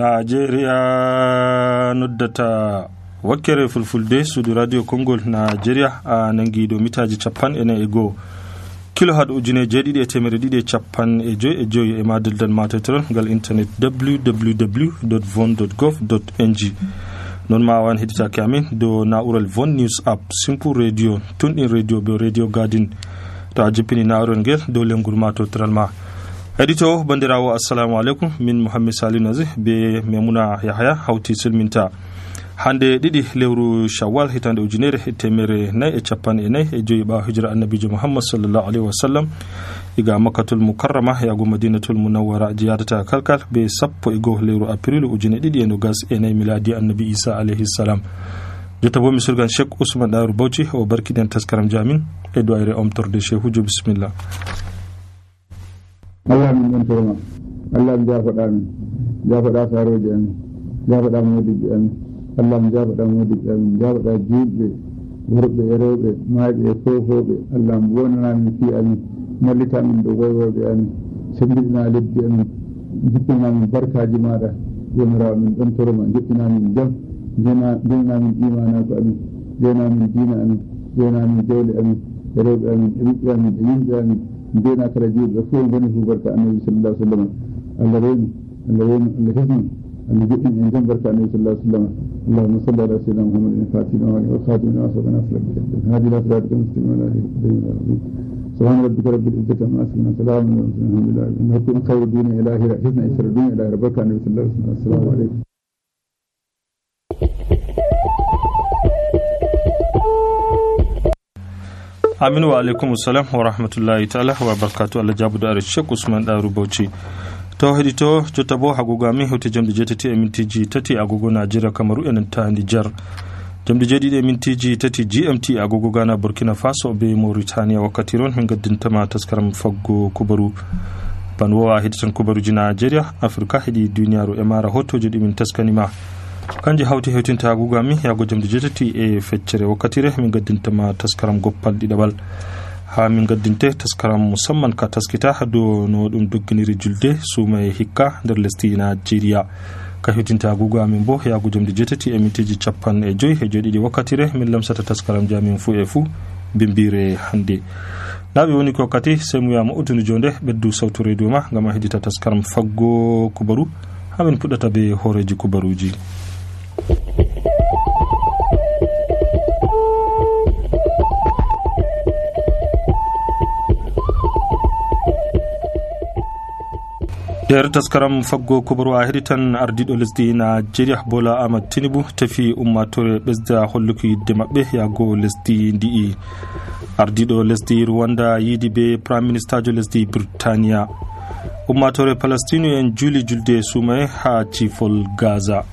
Nigeria noddata wakkere fulfulde suudu radio Kongol Nigeria a nangi do mitaji 40 kilohertz ujune jeedidi e temere didi e cappan e joyi e madaldal matetron gal internet www.von.gov.ng non ma wan hedita kamin do naural Von News app simple radio tundin radio be radio garden to ajipini naural ngel do lengul matetron ma edito bandirawo assalamu alaikum min Muhammad Salih Nazi be Memuna Yahya hawti silminta hande didi lewru Shawwal hitande ujunere temere nay e cappan e nay e joyi ba hijra annabijo Muhammad sallallahu alaihi wasallam iga Makkatul Mukarrama ya go Madinatul Munawwara jiyadata kalkal be sappo e go lewru April ujune didi e no gas e nay miladi annabi Isa alaihi salam jota bo misurgan Sheikh Usman Daru Bauchi o barkiden taskaram jamin e do ayre omtorde Sheikhujo bismillah. Allah min don torma Allah mi jafaɗa min jafaɗa saroje amin jafaɗa modiɓe amin Allah mi jafaɗa modiɓe amin jafaɗa juɗɓe worɓe e rewɓe maaɓe e fofoɓe Allah mi wonana min fi amin mallita min ɗo woywoɓe amin sembidina lebbi amin jippina min barkaji maɗa jomirawo min ɗon torma jippina min jam jena min imanago amin jena min dina amin jena min jawle amin e rewɓe amin e ɓiɓɓe amin e yimɓe amin ndena kala juuɓe fof goni fu barka annabi sallallahu alaihi wasallam Allah rewni Allah hesni Allah joɗɗini en jam barka annabi sallallahu alaihi wasallam Allahumma salli ala sayyidina Muhammadin fatihina wa khatimina wa sabana sallallahu hadi la siratal mustaqim ala alihi subhana rabbika rabbil izzati amma yasifun salamun ala mursalin alhamdulillah innakum khayru dunya ilahira hisna isra dunya ilahira barka annabi sallallahu alaihi wasallam assalamu alaikum. Aminu wa alaikum salam wa rahmatullahi ta'ala wa barakatuh. Allah jabu da Sheikh Usman Daru Bauchi to hedito jotta bo hagogo amin hewte jamde jetati e mintiji tati agogo Nigeria Kamaru enen ta Niger jamde jeedidi e mintiji tati GMT agogo Ghana Burkina Faso be Mauritania wakkati ron min gaddintama taskaram faggo kubaru banwowa heditan kubaruji Nigeria Afrika hedi duniyaaru e mara hotoje dimin taskanima kanji hawti hewtinta agogo amin yago jamde jetati e feccere wakkatire min gaddintama taskaram goppal didabal ha min gaddinte taskaram musamman ka taskita do no dum dogginiri julde suma e hikka der lesdi Nigeria ka hewtinta agogo amin bo yago jamde jetati e mintiji cappan e joyi e jodidi wakkatire min lamsata taskaram jamin fu e fu bimbire hande labi woni ko kati semuyama udunu jonde beddu sawtu radio ma ngam hedita taskaram faggo kubaru hamin pudata be horeji kubaruji. Der taskaram faggo kubaru a heditan ardido lesdi Nigeria Bola Ahmed Tinubu tafi ummatore besda holluki yidde mabbe yago lesdi ndi'i ardido lesdi Rwanda yidi be prime minister jo lesdi Britania ummatore Palestine en juli julde sumay ha cifol Gaza.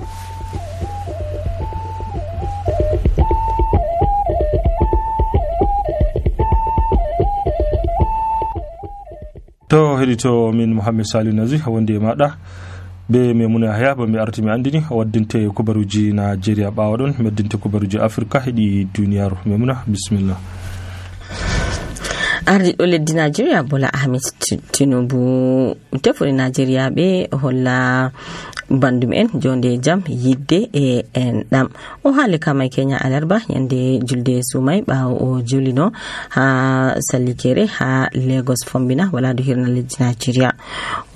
To hedito min Muhammad Salih Nazi wonde mada be Memuna Yahya ba mi arti mi andini waddinte kubaruji Nigeria bawadon meddinte kubaruji Afrika hedi duniyaaru. Memuna bismillah. Ardiɗo leddi Nigeria Bola Ahmed Tinubu tefori Nigeria be holla bandum en jonde jam yidde e enɗam o haali kama Kenya alarba yande julde sumay ɓawo o julino ha sallikere ha Lagos fombina wala do hirna leddi Nigeria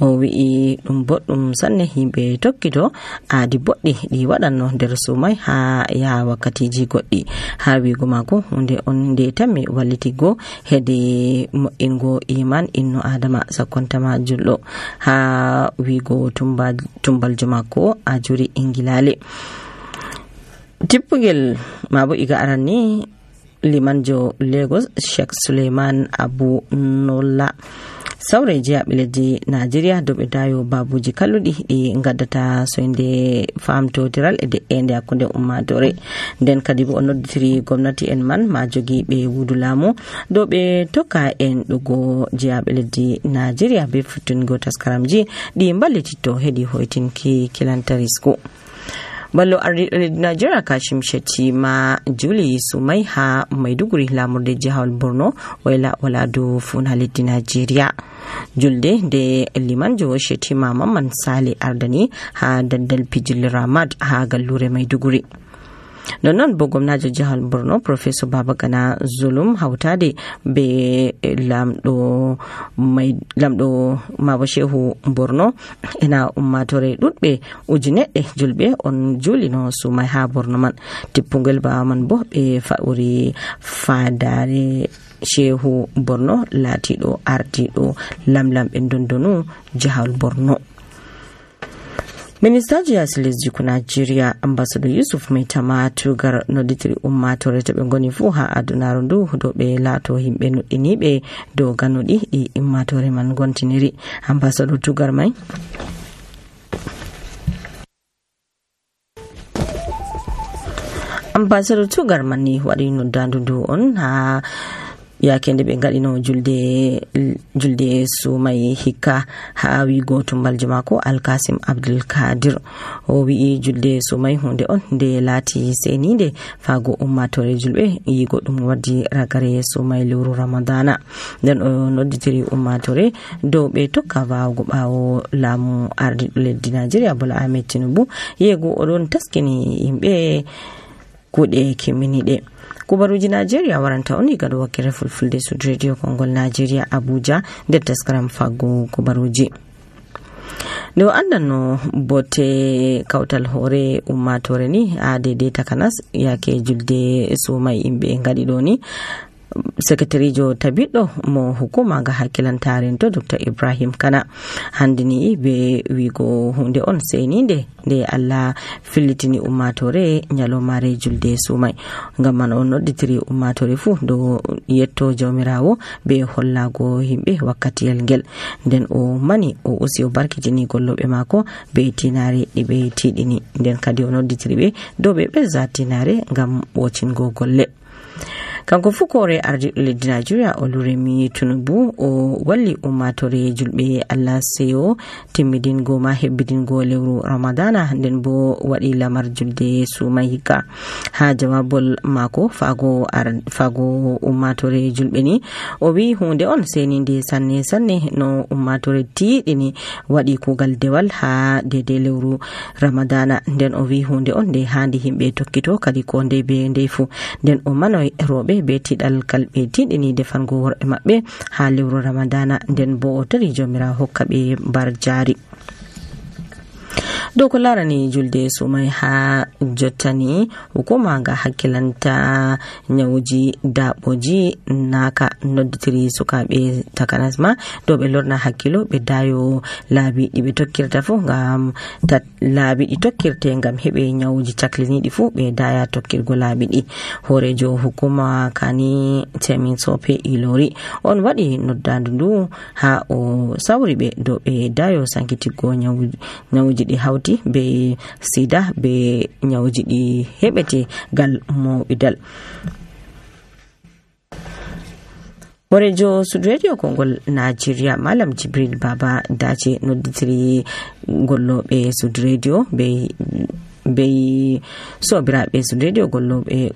o wi'i ɗum boɗɗum sanne yimɓe tokkito aadi boɗɗi ɗi waɗanno nder sumay ha ya wakkatiji goɗɗi ha wigo mako hunde on nde tammi wallitigo hedi mo'ingo iman inno adama sakkontama julɗo ha wigo tumbal mako a juri ingilale tippugel mabo iga arani limanjo Lagos Sheikh Suleiman Abu Nolla sawre jiya leddi Nigeria dobe dayo babuji kalludi di ngaddata soinde famtotiral e ende akunde ummatore den kadi bo nodditiri gomnati en man ma jogi be wudulamu do be tokka en dugo jiya leddi Nigeria be futtungo taskaramji di mballitito hedi hoitinki kilantarisku ballo ardi Nigeria Kashim Shettima Juli Sumai ha Maiduguri lamurde jihar Borno wala do fun halidi Nigeria julde nde limanjo Shetima Mamman Sale ardani ha dandal pijil Ramad ha gallure Maiduguri. Non bo gwamnajo jihar Borno Professor Babagana Zulum hautade be lamdo Mabo Shehu Borno ena ummatore dudbe ujinedde julbe on julino sumai ha Borno man tippungel ba man bo be fauri fadare Shehu Borno latido ardido lamlam en dondonu jihar Borno. Ministaji lesdi ku Nigeria Ambassador Yusuf Maitama tugar noditiri ummatore to be ngoni fu ha adunaro ndu do be lato himbe nuddinibe do ganodi e ummatore man gontiniri. Ambassador tugar mai Ambassador tugar manni wadi noddandu ndu on ha yakende be ngadino julde sumai hikka ha wi goto mbalje mako Alkasim Abdul Kadir o wi julde sumai hunde on de lati seninde fago ummatore julbe yigo dum waddi ragare sumai lewru Ramadana den o nodditiri ummatore do be tokka waawgo bawo lamu ardi leddi Nigeria Bola Ahmed Tinubu yego odon taskini himbe kude kiminide. Kubaruji Nigeria waranta oni gado wakere fulfulde Sud Radio Kongol Nigeria Abuja de taskaram fago kubaruji. Do andano bote kautal hore ummatore ni adede takanas yake julde sumai imbe ngadi doni Secretary Jo Tabido mo hukuma ga hakilantaren to Dr. Ibrahim Kana handini be wigo hunde on seninde de Allah filitini ummatore nyalo mare julde sumai ngam on nodditiri ummatore fu do yetto jawmirawo be hollago himbe wakkati yelgel den o mani o usi o barkitini gollobe mako be tinare dibe tidini den kadi o nodditiri be do be zatinare ngam wocingo golle. Kanko fukore ardi leddi Nigeria Oluremi Tinubu o walli ummatore julbe Allah seyo timmidingo ma hebbidingo lewru Ramadana nden bo wadi lamar julde sumai hikka ha jawabol mako fago ummatore julbe ni o wi hunde on seninde sanne no ummatore tiidini wadi kugal dewal ha dede lewru Ramadana nden o wi hunde on de handi himbe tokkito kadi ko nde be ndefu nden o manoy robe be tidal kalbe tidini defango worbe mabbe ha lewru Ramadana nden bo o tari jomira hokkabe bar jari. Doko larani julde sumai ha jottani hukuma ga hakkilanta nyawuji daboji naka nodditiri sukabe takanasma do be lorna hakkilo be dayo laabi dibe tokkirta fu ngam laabi di tokkirte ngam hebe nyawuji caklini di fu be daya tokkirgo laabi di. Horejo hukuma kani Temin Sope Ilori on wadi noddandu ndu ha o sawri be do be dayo sankitigo nyawuji di hawti be sida be nyawuji di hebete gal mo bidal. Horejo Sud Radio Kongol Nigeria Malam Jibril Baba dace nodditiri gollobe Sud Radio be sobirabe Sud Radio gollobe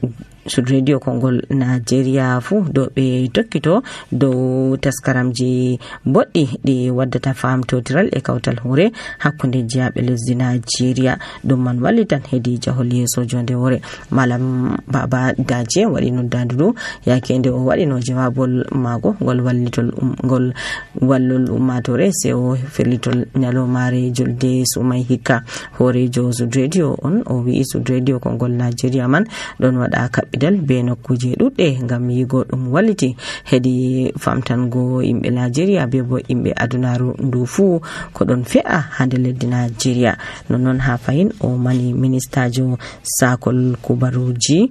Sud Radio Kongol Nigeria fu do be tokkito do taskaramji boddi di waddata famto tiral e kawtal hore hakkunde jiabe lesdi Nigeria dum man wallitan hedi jahol yeso jonde hore. Malam Baba daje wadi no dandudu yakende o wadi no jawabol mago gol wallitol gol wallol ummatore se o ferlitol nyalo mare julde sumai hikka. Horejo Sud Radio on o wi Sud Radio Kongol Nigeria man don wada dal be nokkuje dudde ngam yigo dum walliti hedi famtango imbe Nigeria be bo imbe adunaru ndu fu ko don fe'a hande leddi Nigeria. Non ha fayin o mani ministajo sakol kubaruji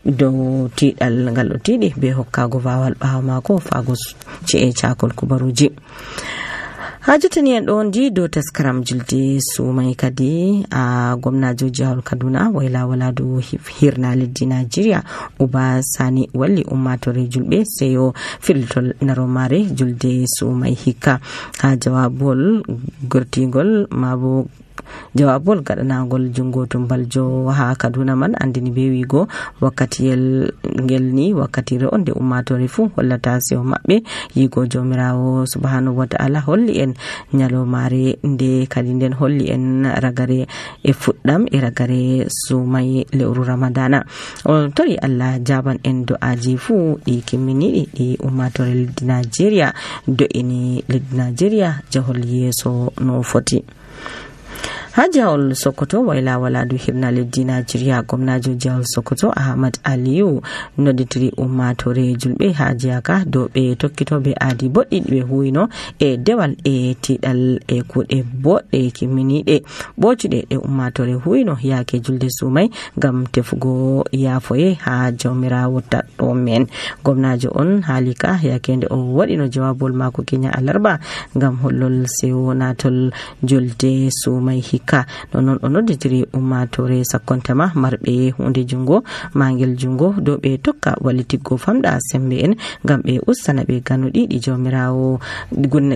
do tidal ngal tidi be hokkago wawal bawo mako fago ce chakol kubaruji. Hajatani en don di do taskaram julde sumai kadi a gwamnajo jihar Kaduna waila wala do hirna leddi Nigeria Uba Sani walli ummatore julbe seyo filtol naromare julde sumai hikka ha jawabol gortigol mabo jawabol gaɗanagol jungo tumbaljo ha Kaduna man andini be wigo wakkatiyel ngel ni wakkatire on nde ummatore fu hollata sewo maɓɓe yigo jomirawo subhanahu wa ta'ala holli en nyalomare nde kadi nden holli en ragare e fuɗɗam e ragare sumai lewru ramadana. On tori Allah jaban en do'aji fu ɗi kimminiɗi ɗi ummatore leddi Nigeria do'ini leddi Nigeria jahol yeso no foti. ha jahol Sokoto wayla waladu hirna leddi Nigeria gwamnajo jahol Sokoto Ahmad Aliyu nodditiri ummatore julɓe ha jiyaka dow ɓe tokkitoɓe aadi boɗɗi ɓe huwino e dewal e tiɗal e kuɗe boɗɗe kimminiɗe ɓocuɗe ɗe ummatore huwino yake julde sumai ngam tefugo yafoye ha jawmirawo taɗɗo men. Gwamnajo on haalika yakende o waɗino jawabol mako kenya alarba ngam hollol sewo natol julde sumai hikka. Non o nodditiri ummatore sakkontama marɓe hunde jungo mangel jungo dow ɓe tokka wallitiggo famɗa sembe en ngam ɓe ustana ɓe ganuɗiɗi jawmirawo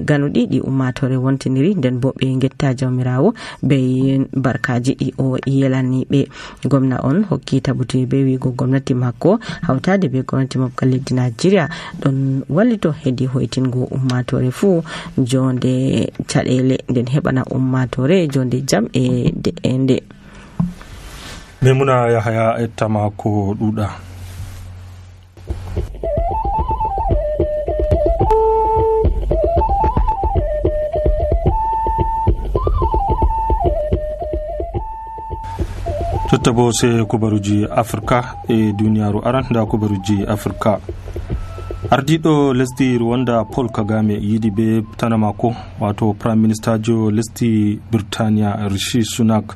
ganuɗiɗi ummatore wontiniri nden bo ɓe getta jawmirawo be barkaji ɗi o yelani ɓe. Gwamna on hokki tabuti be wigo gwamnati makko hawtade be gwamnati mabgal leddi Nigeria ɗon wallito hedi hoytingo ummatore fu jonde caɗele nden heɓana ummatore jonde jam e nde. Memuna Yahaya ettama ko ɗuɗa. Jotta bo sai kubaruji Afrika e duniyaru aran da kubaruji Afrika. Ardiɗo lesdi Rwanda Paul Kagame yidi be tana mako wato Prime Minister jo lesdi Birtaniya Rishi Sunak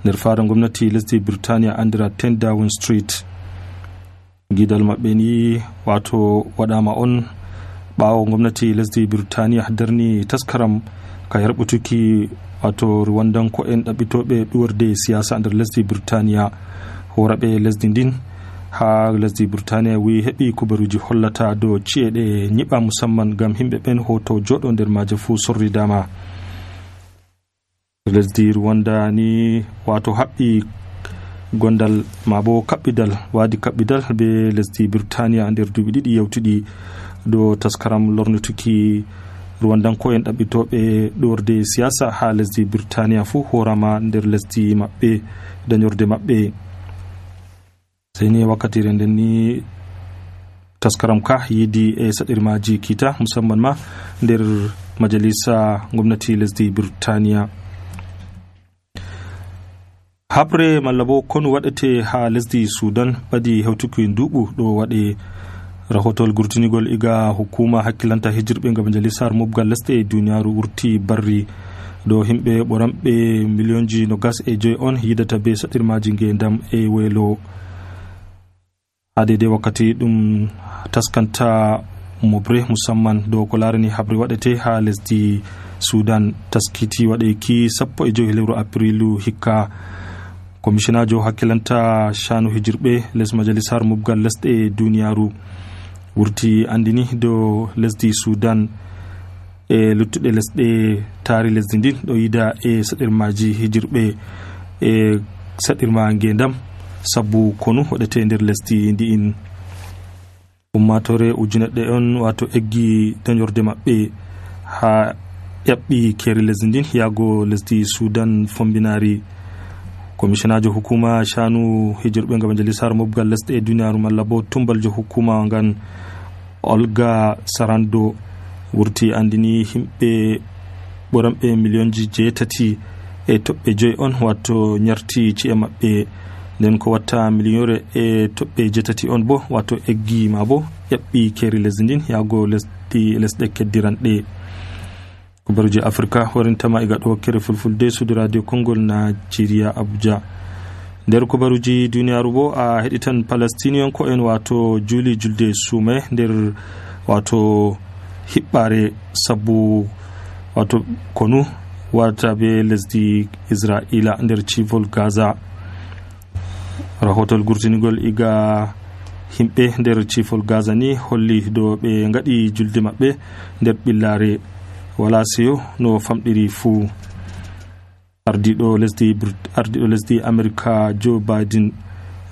nder faran gwamnati lesdi Birtaniya andira 10 Downing Street. Gidal maɓɓe ni wato waɗama on ɓawo gwamnati lesdi Birtaniya darni taskaram ka yarɓutuki wato Rwandanko en ɗaɓɓitoɓe ɗuwarde siyasa nder lesdi Birtaniya horaɓe lesdi ndin ha lesdi Birtaniya wi heɓi kubaruji hollata do ci'eɗe nyiɓa musamman gam himɓe ɓen hoto joɗo nder maje fu sorridama. Lesdi Rwanda ni wato haɓɓi gondal mabo kaɓɓidal wadi kaɓɓidal be lesdi Birtaniya nder duɓi ɗiɗi yewtuɗi do taskaram lornutuki Rwandanko en ɗaɓɓitoɓe ɗorde siyasa ha lesdi Birtaniya fu horama nder lesdi maɓɓe dañorde maɓɓe. Sai ni wakkatire nden ni taskaram ka yidi e saɗirmaji kita musamman ma nder majalisa gwamnati lesdi Birtaniya. Habre malla bo konu waɗete ha lesdi Sudan ɓadi hewtuki nduɓu ɗo waɗe. Rahotol gurtinigol iga hukuma hakkilanta hijirɓe nga majalisar mobgal lesɗe e duniyaru wurti barri do himɓe ɓoranɓe millionji 25 on yidata be saɗirmaji ngendam e welo. Adede wakkati ɗum taskanta mobre musamman do ko larani habre waɗete ha lesdi Sudan taskiti waɗeki 15 lewru aprilu hikka. Komisionajo hakkilanta shanu hijirɓe les majalisar mobgal lesɗe e duniyaru wurti andini do lesdi Sudan e luttuɗe lesɗe taari lesdi ndin ɗo yida e saɗirmaji hijirɓe e saɗirma ngendam sabu konu waɗete nder lesdi ndi'in. Ummatore ujuneɗɗe on wato eggi dañorde maɓɓe ha ƴaɓɓi keri lesdi ndin yago lesdi Sudan fombinari. Komisionajo hukuma shanu hijirɓe nga majalisar mobgal lesɗe e duniyaru malla bo tumbaljo hukuma ngan Olga Sarando wurti andini himɓe ɓoranɓe millionji 8 e toɓɓe 5 on wato nyarti ci'e maɓɓe nden ko watta millionre e toɓɓe 8 on bo wato eggi ma bo ƴaɓɓi keri lesdi ndin yago lesɗe keddiranɗe. Kubaruji Afrika warintama iga ɗo kere fulfulde Sud Radio Kongol Nigeria Abuja. Nder kubaruji duniyaru bo a heɗitan Palestinian ko en wato juli julde sume nder wato hiɓɓare sabu wato konu wata be lesdi Israila nder civol Gaza. Rahotol gurtinigol iga himɓe nder civol Gaza ni holli do ɓe ngaɗi julde maɓɓe nder ɓillare wala seyo no famɗiri fuu. ardiɗo lesdi America Joe Biden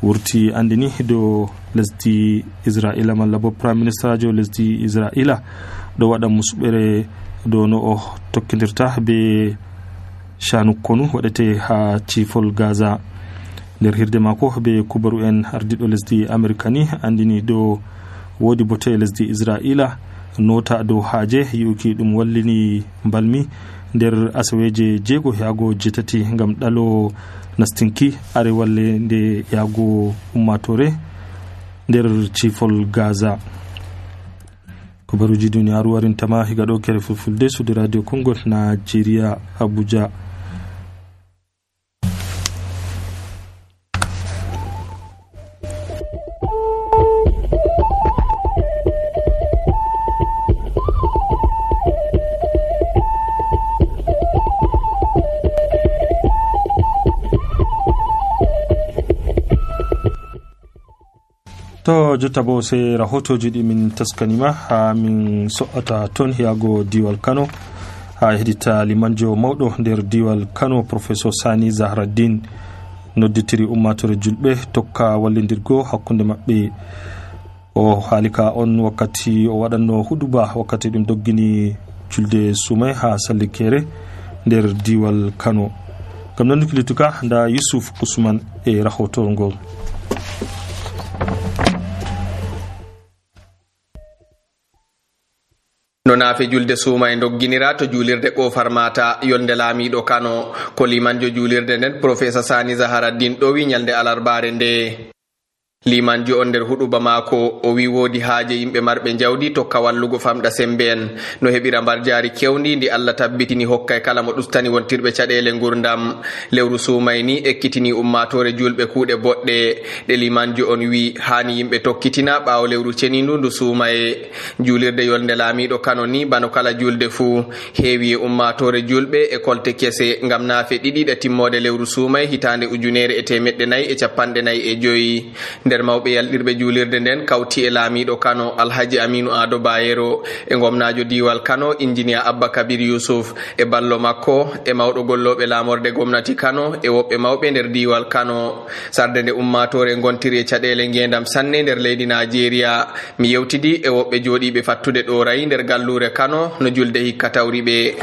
wurti andini do lesdi Israila malla bo prime minister jo lesdi Israila do wada musbere do no o tokkidirta be shanu konu wadete ha cifol Gaza. nder hirde mako be kubaru en ardiɗo lesdi America ni andini do wodi bote lesdi Israila nota do haje yuki dum wallini balmi nder asaweje jego yago jetati ngam dalo nastinki are walle nde yago ummatore nder cifol Gaza. Kubaruji duniyaru warintama higa do kere fulfulde su radio Congo Nigeria Abuja. To jotta bo sai rahotoji ɗi min taskanima ha min so'ata ton yago diwal Kano ha hedita limanjo mawɗo nder diwal Kano professeur Sani Zahraddin nodditiri ummatore julɓe tokka wallindirgo hakkunde maɓɓe. O haalika on wakkati o waɗanno huduba wakkati ɗum doggini julde sumay ha sallikere nder diwal Kano. Gam non kilituka nda Yusuf Usman e rahoto ngol. no naafe julde suuma e dogginira to juulirde Kofar Mata yolnde laamiɗo Kano ko limanjo juulirde nden professeur Sani Zahraddin ɗo wi nyalde alarbare nde. limanjo on nder huɗuba maako o wi woodi haaje yimɓe marɓe jawdi tokka wallugo famɗa sembe en no heɓira mbar jaari kewndi ndi Allah tabbitini hokkay kala mo ɗustani wontirɓe caɗele gurdam. lewru sumay ni ekkitini ummatore julɓe kuuɗe boɗɗe ɗe limanjo on wi hani yimɓe tokkitina ɓaawo lewru cenindu ndu suumaye. juulirde yolnde laamiɗo Kano ni bano kala julde fuu heewi e ummatore julɓe e kolte kese ngam naafe ɗiɗiɗe timmode lewru sumay hitande 1445 nder mawɓe yalɗirɓe juulirde nden kawti e laamiɗo Kano Alhaji Aminu Ado Bayero e gomnajo diwal Kano ingénieur Abba Kabir Yusuf e ballo makko e mawɗo golloɓe laamorde gomnati Kano e woɓɓe mawɓe nder diwal Kano. sarde nde ummatore gontiri e caɗele ngendam sanne nder leydi Nigeria mi yewtidi e woɓɓe jooɗiɓe fattude ɗorayi nder gallure Kano no julde hikka tawriɓe.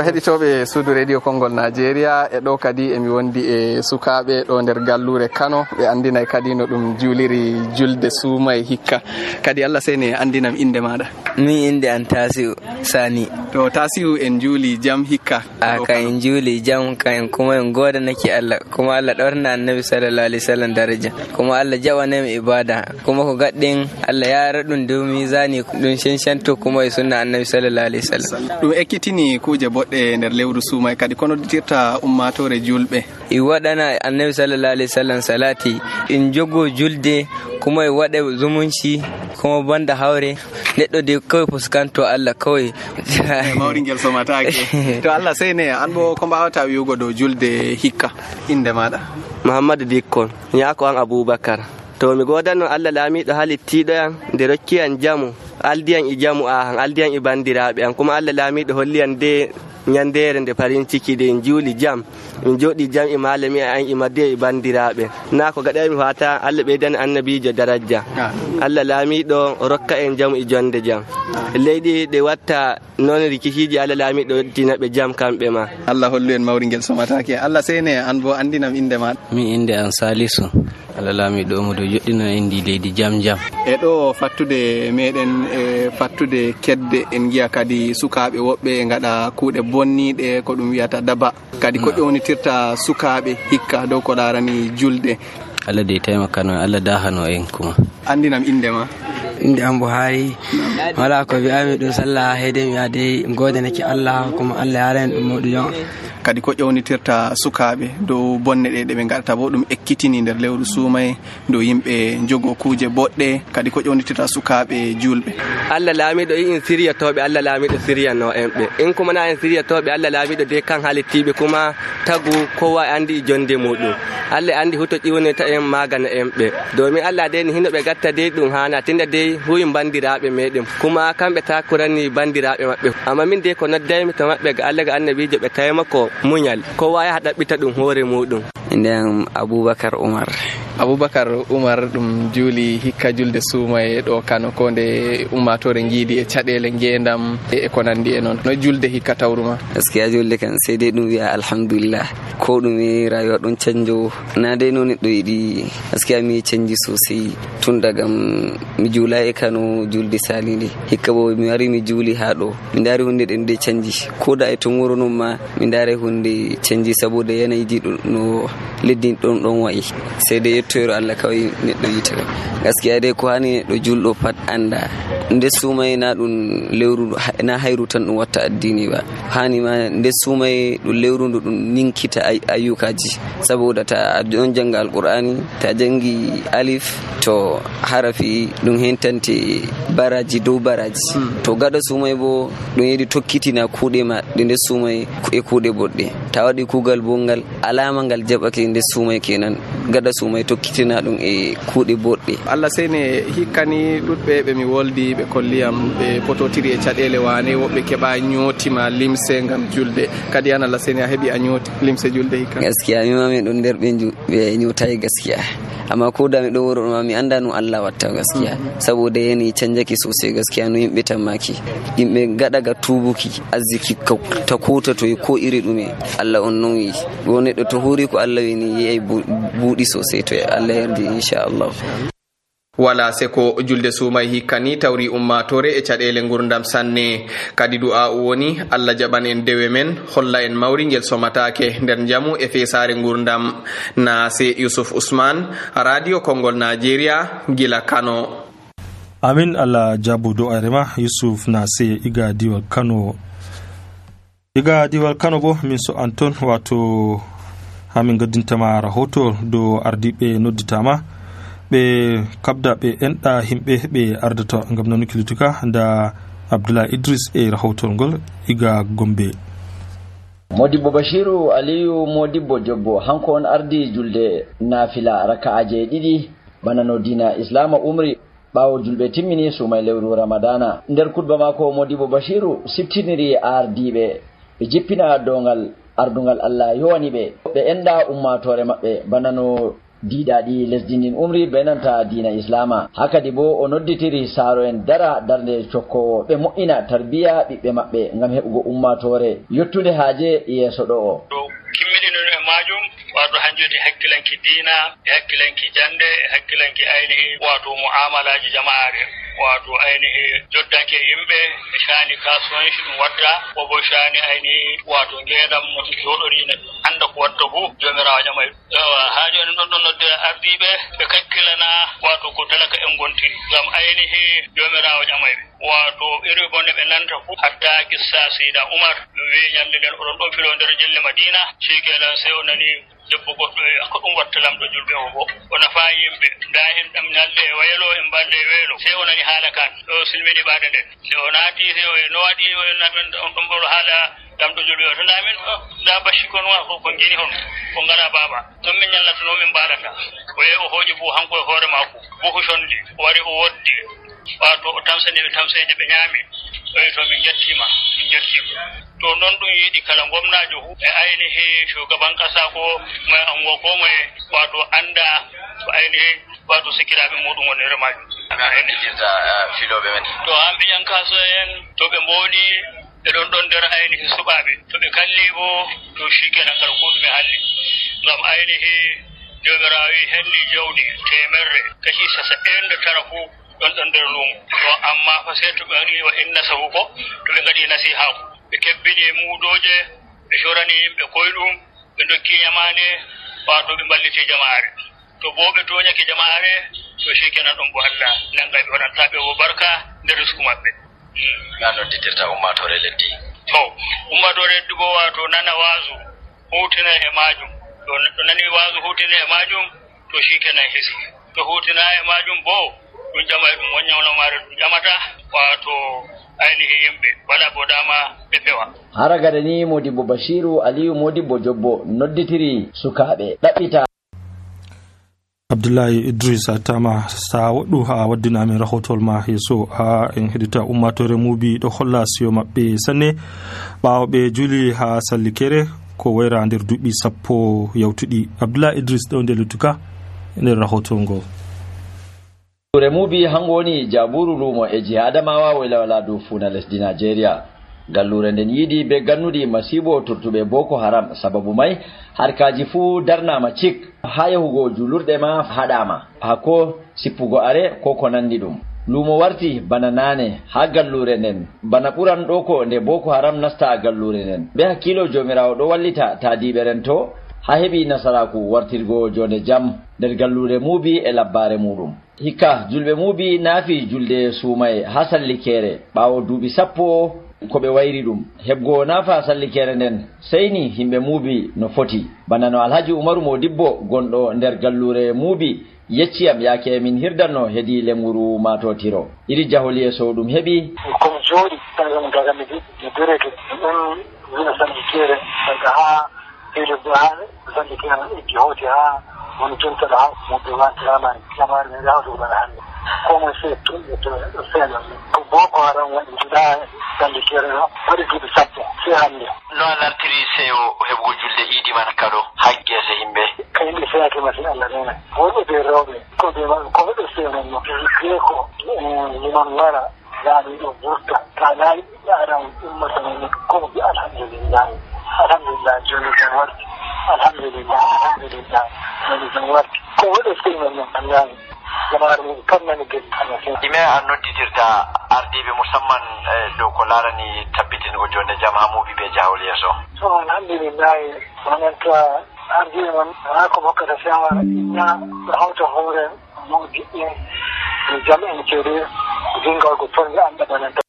heɗitoɓe suudu radio Kongol Nigeria e ɗo kadi emi wondi e sukaɓe ɗo nder gallure Kano ɓe andinay kadi no ɗum juuliri julde suumay hikka. kadi Allah sene andinam inde maɗa. min inde an Tasiu Sani. to Tasiu en juuli jam hikka? ka en juuli jam kan kuma en godanaki Allah kuma Allah ɗorna annabi sallallahu alaihi wasallam daraja kuma Allah jawanami ibada kuma ko gaɗɗen Allah yara ɗum dow misani ɗum senshanto kuma e sunna annabi sallallahu alaihi wasallam. ɗum ekkitini kuje boɗɗe nder lewru suumay kadi kono dirta ummatore julɓe i waɗana annabi sallallahu alaihi wasallam salati in jogo julde kuma e waɗa zumunci kuma banda hawre neɗɗo de kawai fuskanto Allah kawai mawringel somatake. to Allah sene an bo ko mbawata wiugo dow julde hikka inde maɗa? Muhammadu Dikkon nyako an Abubakar. to mi godano Allah laamiɗo halittiɗo yan nde rokki an jamu aldiyan i jamu an aldiyan i bandiraɓe an kuma Allah laamiɗo holliyan de nyandere nde farin ciki de en juuli jam min jodi jam e malami an e madde e bandiraɓe na ko gaɗa mi fata Allah ɓeydani annabijo daraja Allah laamiɗo rokka en jam e jonde jam leydi ɗe watta non rikiciji Allah laamiɗo dinaɓe jam kamɓe ma. Allah hollu en mawringel somatake. Allah sene an bo andinam inde ma? min inde an Salisu. Allah laamiɗo mo do joɗɗino indi leydi jam jam e ɗo fattude meɗen e fattude kedde en giya kadi sukaɓe woɓɓe e gaɗa kuuɗe bonniɗe ko ɗum wiyata daba kadi ko ƴewnitirta sukaɓe hikka dow ko larani julde. Allah de taimakano Allah dahano en kuma. andinam inde ma? inde am Buhari. wala ko wi'ami ɗum sallah heede mi yaade godanaki Allah kuma Allah yaran ɗum moɗo jon kadi ko ƴewnitirta sukaɓe dow bonne ɗe ɓe gaɗata bo ɗum ekkitini nder lewru suumay dow yimɓe jogo kuje boɗɗe kadi ko ƴewnitirta sukaɓe julɓe. Allah laamiɗo in siriyatoɓe, Allah laamiɗo siriyano en ɓe, in kuma na en siriyatoɓe Allah laamiɗo de kan halittiɓe kuma tagu kowa andi jonde muɗum. Allah andi huto ƴiwneta en magana en ɓe, domin Allah de ni hinoɓe gatta de ɗum hana tinda de huyin bandiraɓe meɗen kuma kamɓe takurani bandiraɓe maɓɓe, amma min de ko noddaymi to maɓɓe ga Allah ga annabijo ɓe tawima ko muñal kowa yaha ɗaɓɓita ɗum hoore muɗum. Nden Abubakar Umar ɗum juuli hikka julde suumay ɗo Kano ko nde ummatore jiidi e caɗele ngendam e ko nandi e noon no julde hikka tawruma? Gaskiya julde kan sai dai ɗum wi'a alhamdulillah ko ɗume rayuwa ɗon canjo na dai no neɗɗo yiɗi. Gaskiya mi canji sosai tun daga mi juula e Kano julde salinde hikka bo mi wari mi juuli ha ɗo mi dari hunde ɗen de canji ko da e to wuro non ma mi dari hunde canji saboda yanayiji no leddi ɗon wayi sai dai yettoyro Allah kawai neɗɗo yitira. Gaskiya dai ko hani neɗɗo julɗo pat anda nde sumay na ɗum lewru na hayru tan ɗum watta addini ba, hani ma nde sumay ɗum lewru ndu ɗum ninkita ayyukaji saboda ta on janga alqur'ani ta jangi alif to harafi ɗum hentante baraji dow baraji to gaɗa sumay bo ɗum yiɗi tokkitina kuuɗe ma ɗe nde sumay e kuuɗe boɗɗe ta waɗi kuugal bo ngal alama ngal jaɓake nde sumay kenan gaɗa sumay tokkitina ɗum e kuuɗe boɗɗe. Allah seyne hikkani ɗuɗɓe ɓe mi woldi ɓe kolliyam ɓe pototiri e caɗele wane woɓɓe keɓa ñootima limse ngam julde kadi an Allah seyne a heɓi a ñooti limse julde hikka? Gaskiya mi ma min ɗon nder ɓe ñootayi gaskiya, amma ko da mi ɗo wuro ma mi anda no Allah watta gaskiya saboda yani canjaki sosai gaskiya no yimɓe tammaki yimɓe gaɗa ga tubuki arziki ta kota to ko iri ɗume Allah on non yi go neɗɗo to huri ko Allah wini yayi buɗi sosai to Allah yardi inchallah. wala seko julde suumay hikkani tawri ummatore e caɗele gurdam sanne kadi du'a woni Allah jaɓan en dewe men holla en mawri ngel somatake nder jamu e fesare gurdam. Nase Yusuf Usman, Radio Kongol Nigeria, gila Kano. Amin. Allah jabu do'are ma Yusuf Nase iga diwal Kano bo min so Anton wato hamin gaddintama rahoto do ardiɓe nodditama ɓe kabda ɓe enɗa himɓe ɓe ardata ngam nanuki lutuka da Abdullah Idris e rahoton ngol iga Gombe. Modibbo Bashiru Aliyu Modibbo Jobbo hanko on ardi julde nafila raka'aje ɗiɗi bana no dina Islama umri ɓawo julɓe timmini sumay lewru Ramadana. Nder kutba mako Modibbo Bashiru siftiniri ardiɓe ɓe jippina dongal ardungal Allah yowani ɓe enɗa ummatore maɓɓe bana no diidaɗi lesdi ndin umri be nanta diina Islama. Hakadi bo o nodditiri saaro en dara darde cokkowo ɓe mo'ina tarbiya ɓiɓɓe maɓɓe ngam heɓugo ummatore yottude haaje yeeso ɗo o. Kimmiɗinol e majum wato hanjudi hakkilanki diina e hakkilanki jande e hakkilanki ainihi wato mu'amalaji jama'are wato ainihi joddanke yimɓe e shani kasuwanci ɗum watta ko bo shani ainihi wato ngendam no joɗori anda ko watta fu jomirawo ƴamay ha joni ɗon ɗon nodde ardiɓe ɓe kakkilana wato ko talaka en gontiri ngam ainihi jomirawo ƴamay wato iri bonne ɓe nanta fu hatta kissa Seyda Umar wi ñande nden oɗon ɗon filo nder jelle Madina shikenan sey o nani debbo goɗɗo ko ɗum watta lamɗo julɓe o bo o nafa yimɓe nda en ɗam ñalde e waylo en balde e weelo sey o nani haala kan ɗo silmini ɓaade nden se o naati se o no waɗi on ɗon ɓoro haala lamɗo julɓe o to ndamin nda bacci kon wa ko geni hon ko ngara baaba ɗon min ñallatono min mbaɗata o yehi o hooƴi bo hanko e hoore mako buhu condi o wari o woddi wato o tamsaniɓe tamseje ɓe ñaami to min jettima to non ɗum yiɗi kala gomnajo hu e ainihi shugaban kasa ko mai ango ko mai wato anda ko ainihi wato sikiraɓe muɗum wonere majum filoɓe men to hamɓe ƴan kaso en to ɓe mboɗi ɓe ɗon nder ainihi suɓaɓe to ɓe kalli bo to shikenan kala ko ɗume halli ngam ainihi jomirawi helli jawdi temerre kashi 99 fu ɗon nder lumo to amma fa sai to ɓe waɗi wa inna sahu ko to ɓe gaɗi nasiha ko ɓe kebbini muudoje ɓe sorani yimɓe koyɗum ɓe dokki ñamane wato ɓe mballiti jama'are to bo ɓe toñake jama'are to shikenan ɗon bo Allah nanga ɓe waɗantaɓe bo barka nder risku maɓɓe. Na nodditirta ummatore leddi to ummatore leddi bo wato nana waasu hutina e majum. To neɗɗo nani waasu hutina e majum to shikenan hesi. To hutina e majum bo ɗum ƴamay ɗum won ñawlamare ɗum ƴamata wato ainihi yimɓe wala bo dama ɓe pewa. Hara gada ni Modibbo Bashiru Aliyu Modibbo Jobbo nodditiri sukaɓe ɗaɓɓita. Abdullahi Idris atama sa waɗɗu ha waddinamin rahotol ma yeso ha en heɗita ummatore mubi ɗo holla siyo maɓɓe sanne ɓawo ɓe juli ha sallikere ko wayra nder duuɓi 10 yawtuɗi. Abdullahi Idris ɗo nde lutuka nder rahotol ngol. Mubi hango woni jaburu lumo e jiha Adamawa Wailawala dow funa lesdi Nigeria. Gallure nden yiidi be gannudi masibo turtuɓe Boko Haram, sababu mai harkaji fu darnama cik ha yahugo julurde ma haɗama hako sippugo are ko ko nandi ɗum. Lumo warti bana nane ha gallure nden bana ɓuran ɗo ko nde Boko Haram nasta gallure nden. Be hakkilo jomirawo ɗo wallita taadiɓe ren to ha heɓi nasaraku wartirgo jonde jam nder gallure Mubi e labbare muɗum. Hikka julɓe Mubi naafi julde suumay ha sallikere ɓawo duuɓi 10 ko ɓe wayri ɗum. Heɓgo naafa sallikere nden seyni himɓe Mubi no foti. Bana no Alhaji Umaru Modibbo gonɗo nder gallure Mubi yecciyam yaake min hirdanno hedi lenguru matotiro. Iri jahol yeso ɗum heɓi komi jooɗi daga mi dereke ɗon wina sallikere daga ha hede ha sallikere eggi hoti ha woni jontaɗo ha moɓe wati lamari ne hawtugo bana hannde komo se tumɓe to ɗo feeña ko Boko Haram waɗi juɗa sallikere ɗo waɗi duuɓi 10 se hannde. No a lartiri seyo heɓugo julde iidi man kado haggese yimɓe? Ka yimɓe feyake masin Allah nena worɓe be rewɓe koɓe ɓe feenanno wiye ko liman wara laaɓi ɗo wurta ta laaɓi ɓiɓɓe Adam ummata men komo ɓe alhamdulillahi joni tan warti alhamdulillah joni tan warti ko waɗo feynan men annaani jama'ar mum kam nani gedi ɗime a nodditirta ardiɓe musamman dow ko larani tabbitingo jonde jam ha Mubi be jahol yeeso? to alhamdulillahi wonanta ardiɓe man ha ko hokkata shawara inna ɗo hawta hoore mawdiɓɓe jam en ceede dingalgo tonde anda bananta.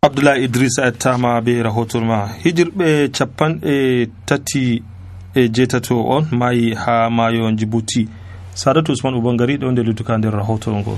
Abdullahi Idris attama be rahotol ma. Hijirɓe 38 on mayi ha mayo Djibouti. Sadatu Usman Ubangari ɗo nde lutuka nder rahotol ngol.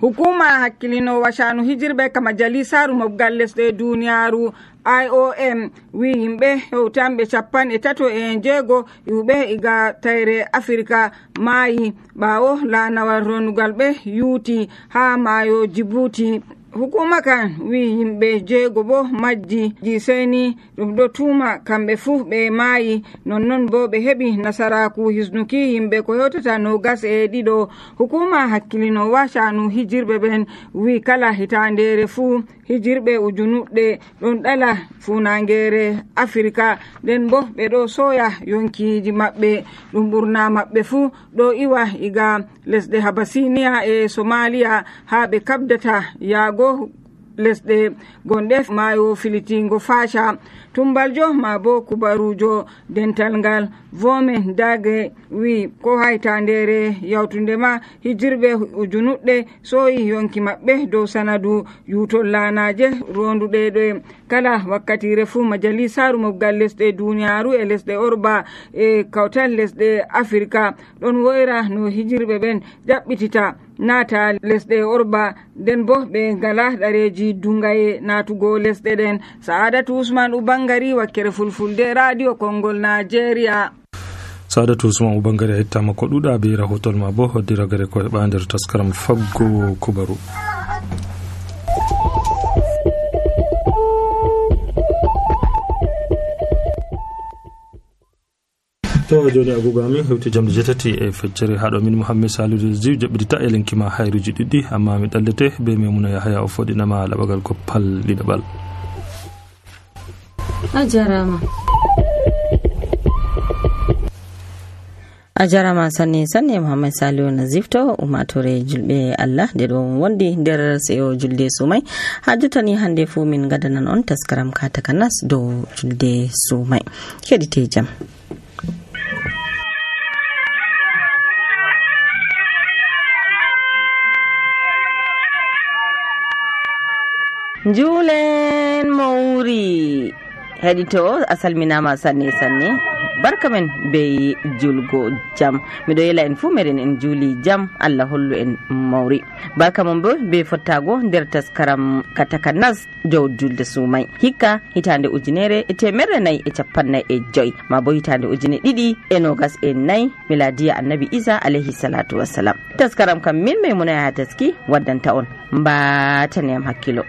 Hukuma hakkilinowa shanu hijirɓe ka majalisaru mobgal lesɗe duniyaru IOM wi yimɓe hewtanɓe 36 iwɓe iga tayre Afrika maayi ɓawo laanawal ronugal ɓe yuuti ha mayo Djibouti. Hukuma kan wi yimɓe 6 bo majji seni ɗum ɗo tuma kamɓe fu ɓe maayi nonnon bo ɓe heɓi nasaraku hisnuki yimɓe ko hewtata 22. Hukuma hakkilinowa shanu hijirɓe ɓen wi kala hitandere fu hijirɓe ujunuɗɗe ɗon ɗala funangere Afrika nden bo ɓe ɗo soya yonkiji maɓɓe ɗum ɓurna maɓɓe fu ɗo iwa iga lesɗe Habasiniya e Somalia ha ɓe kabdata yaago lesɗe gonɗe mayo filitingo Fasha. Tumbaljo ma bo kubarujo dental ngal Vome Dage wi ko haytandere yawtunde ma hijirɓe ujunuɗɗe soyi yonki maɓɓe dow sanadu yutol laanaje ronduɗe ɗo kala wakkatire fu majalisaru mobgal lesɗe duniyaru e lesɗe Orba e kawtal lesɗe Afrika ɗon woyra no hijirɓe ɓen jaɓɓitita naata lesɗe Orba nden bo ɓe ngala ɗareji dungaye natugo lesɗe ɗen. Saadatu Usman Ubangari wakkere fulfulde radio Kongol Nigeria. Saadatu Usman Ubangari hettama ko ɗuɗa be rahotol ma bo hoddiragare ko heɓa nder taskaram faggo kubaru. to joni agogo amin hewti jamde 8 e feccere haɗo min Mouhammad Saludou Ziw jaɓɓitita e lenkima hayruji ɗiɗɗi amma mi ɗallete be Memuna Yahaya o foɗinama laɓagal ko palliɗaɓal. a jarama sanne Mouhammad Saliou Nazif to umatore julɓe Allah nde ɗo wondi nder seyo julde sumay ha jottani hande fu min gadanan on taskaram ka takanas dow julde sumay keɗite jam. Julen Mowri heɗito a salminama sanne sanne barka men be julgo jam miɗo yela en fuu meɗen en juuli jam Allah hollu en mawri barka mon bo be fottago nder taskaram katakanas dow julde sumay hikka hitande 1450 ma bo hitande 2024 miladiya annabi Isa alayhi salatu wassalam taskaram kam min Maimuna Yahya Taski waddanta on mbatani am hakkilo.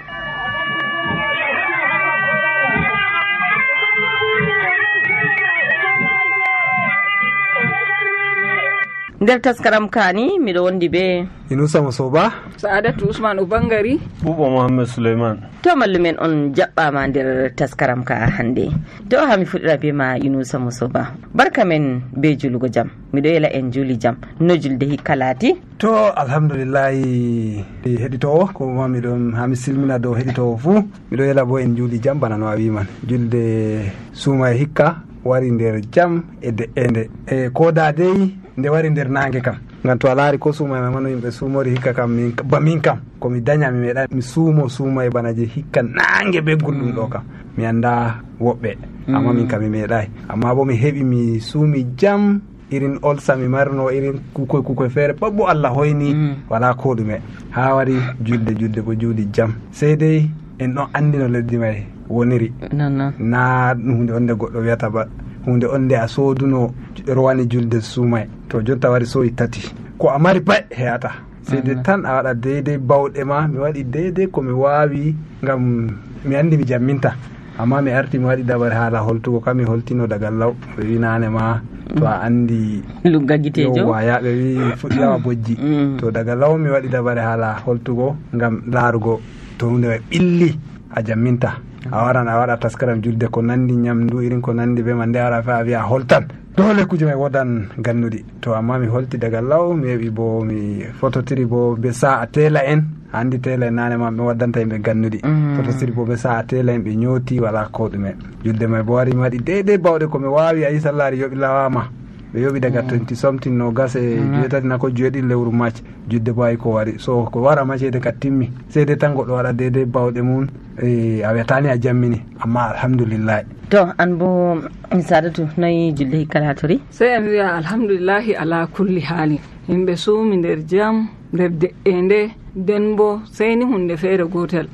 nder taskaram kani miɗo wondi be Inusa Musoba, Sa'adatu Usman Ubangari, Bubo Muhammad Suleiman. To mallumen on jaɓɓama nder taskaram ka hande. To hami fuɗɗira be ma Inusa Musoba. Barka men be julugo jam. Miɗo yela en juli jam. No julde hikkalati? To alhamdulillahi heɗitowo ko ma miɗon hami silmina dow heɗitowo fuu. Miɗo yela bo en juli jam bana no a wiman. Julde suma hikka wari nder jam e de'ende. Ko da dey nde wari nder nange kam. Ngam to a laari ko suuma e mano yimɓe suumori hikka kam min kam ko mi daña mi meeɗa mi suuma e bana je hikka nange be gulɗum ɗo kam mi anda woɓɓe amma min kam mi meeɗayi amma bo mi heɓi mi suumi jam irin olsa mi marno irin kukoy feere pat bo Allah hoyni wala ko ɗume ha wari julde bo juuli jam sey dey en ɗon andi no leddi may woniri na hunde onde goɗɗo wiyata ba hunde onde a sooduno rowani julde suumay to jonta wari soyi tati ko a mari pat heyata seyde tan a waɗa deydey bawɗe ma mi waɗi deydey ko mi waawi ngam mi anndi mi jamminta amma mi arti mi waɗi dabare haala holtugo kam mi holtino daga law ɓe wi nane ma to a anndi yowa yaɓe wi fuɗɗirawa bojji to daga law mi waɗi dabare haala holtugo ngam laarugo to hunde way ɓilli a jamminta a waran a waɗa taskaram julde ko nandi ñamdu irin ko nandi be man nde ara fe a wiya holtan dole kuje may wodan gannuɗi to amma mi holti daga law mi heɓi bo mi fototiri bo be sa'a tela en andi tela en nane ma ɓe waddanta yimɓe gannuɗi fototiri bo be sa'a tela en ɓe ñooti wala ko ɗume julde may bo wari mi waɗi deydey bawɗe komi wawi a yi sallari yoɓi lawama ɓe yoɓi daga 20 something no gas e jeetati nako jeeɗiɗi lewru macce julde bo ay ko wari so ko wara macede ka timmi seyde tan goɗɗo waɗa deydey bawɗe mum a wiyatani a jammini amma alhamdulillahi to an bo Sadatu nayi julde hikkalatori sey en wiya alhamdulillahi ala kulli hali yimɓe suumi nder jam nder de'ende nden bo sey ni hunde feere gotel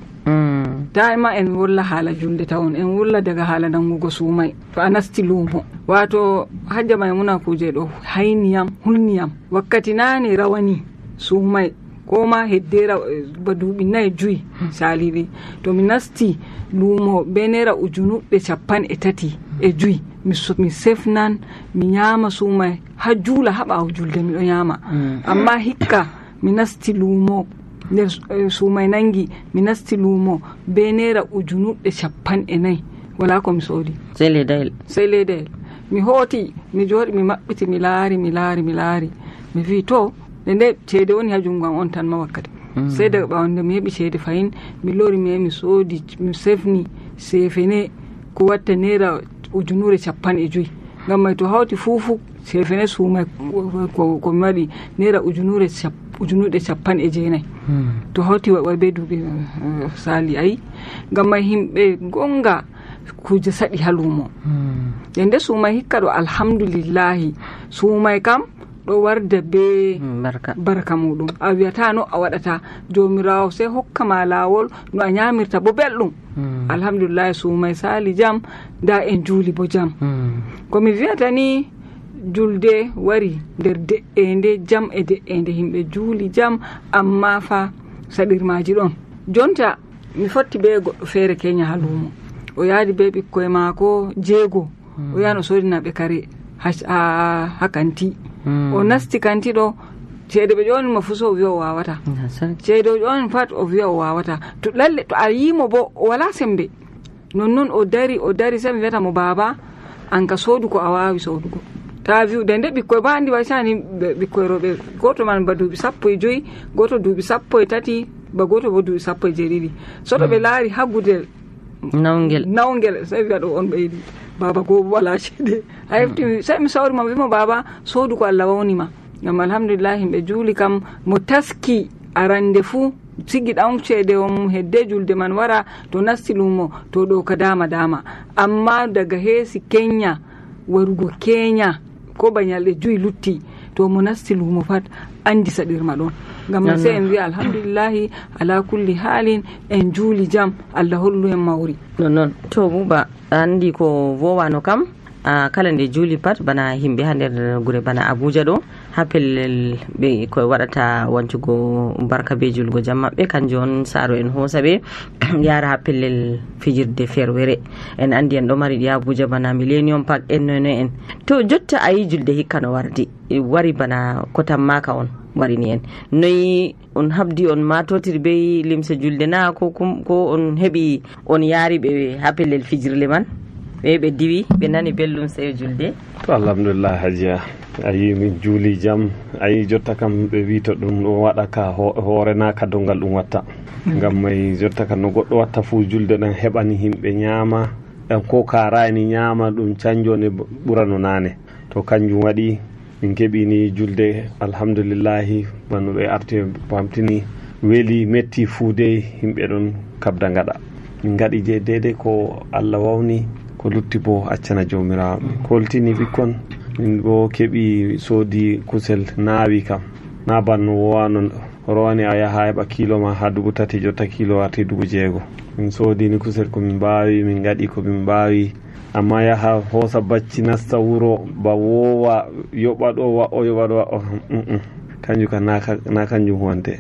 da'ima en wulla haala julde tawon en wulla daga haala nangugo suumay to a nasti luumo wato Hajja Maimuna kuje ɗo hayniyam hulniyam wakkati nane rawani suumay ko ma heddera ba duuɓi 4-5 saliɗi to mi nasti luumo be naira 35,000 mi sefnan mi ñaama suumay ha juula ha ɓaawo julde miɗo ñaama amma hikka mi nasti luumo nder suumay nangi mi nasti luumo be naira 50,000 wala ko mi soodi sey leydayel mi hooti mi jooɗi mi maɓɓiti mi laari mi wi to nde ceede woni ha jungo am on tan ma wakkati sey daga ɓawnde mi heɓi ceede fayin mi lori mi soodi mi sefni sefene ko watta naira 50,000 ngam may to hawti fuufu sefene suumay ko mi waɗi naira 1,900 to hawti way be duuɓi sali ayi ngam may himɓe gonga kuje saɗi ha luumo nde suumay hikka ɗo alhamdulillahi suumay kam ɗo warda be barka muɗum a wiyata no a waɗata jomirawo sey hokkama lawol no a ñamirta bo belɗum alhamdulillahi suumay sali jam da en juuli bo jam komi wiyata ni julde wari nder de'ende jam e de'ende himɓe juuli jam amma fa saɗirmaji ɗon jonta mi fotti be goɗɗo feere keña ha luumo o yaadi be ɓikkoye maako 6 o yano sodinaɓe kare ha kanti o nasti kanti ɗo ceede ɓe ƴonimo fu so o wiya o wawata ceede o ƴoni pat o wiya o wawata to lalle to a yimo bo o wala sembe nonnon o dari sey mi wiyata mo baba an ka soodu ko a wawi soodugo ta wiwde nde ɓikkoye ba andi waysani ɓikkoye rewɓe goto man ba duuɓi 15 goto duuɓi 13 ba goto bo duuɓi 17 soto ɓe laari ha gudel nawgel sey wiya ɗo on ɓeydi baba ko wala ceede a heftimi sey mi sawrima wimo baba soodu ko Allah wawnima ngam alhamdulillah himɓe juuli kam mo taski arande fuu sigi ɗan ceede on hedde julde man wara to nasti lumo to ɗo ka dama amma daga heesi Kenya warugo Kenya ko ba ñalɗe 5 lutti to mo nasti lumo pat andi saɗirma ɗon ngam sai en wi'a alhamdulillahi ala kulli halin en juuli jam Allah hollu en mawri non to buba andi ko vowano kam kala nde juuli pat bana himɓe ha nder gure bana Abuja ɗo ha pellel ɓe ko waɗata wancugo barka be julgo jam maɓɓe kanjum on saaro en hoosa ɓe yara ha pellel fijirde ferwere en andi en ɗo mari ɗi Abuja bana Millennium Park en noy en to jotta ayi julde hikka no wari bana kotan maka on warini en noyi on habdi on matotir be limse julde na ko on heɓi on yaari ɓe ha pellel fijirle man ɓe diwi ɓe nani belɗum seyo julde to alhamdulillah hajiya ayi min juuli jam ayi jotta kam ɓe wi to ɗum ɗo waɗa ka hoore na ka dongal ɗum watta ngam may jotta kam no goɗɗo watta fuu julde ɗen heɓani himɓe ñaama ɗan ko karani ñaama ɗum canjone ɓurano nane to kanjum waɗi min keɓini julde alhamdulillahi bano ɓe arti pamtini weeli metti fuu de himɓe ɗon kabda gaɗa min gaɗi je dede ko Allah wawni ko lutti bo accana jomirawo min koltini ɓikkon min bo keɓi soodi kusel naawi kam na banno wowano rowani a yaha heɓa kilo ma ha 3 jotta kilo warti 6,000 min soodini kusel ko min mbawi min gaɗi ko min mbawi amma yaha hoosa bacci nasta wuro ba wowa yoɓa ɗo wa'o yoɓa ɗo wa'o kanjum kam na kanjum huwante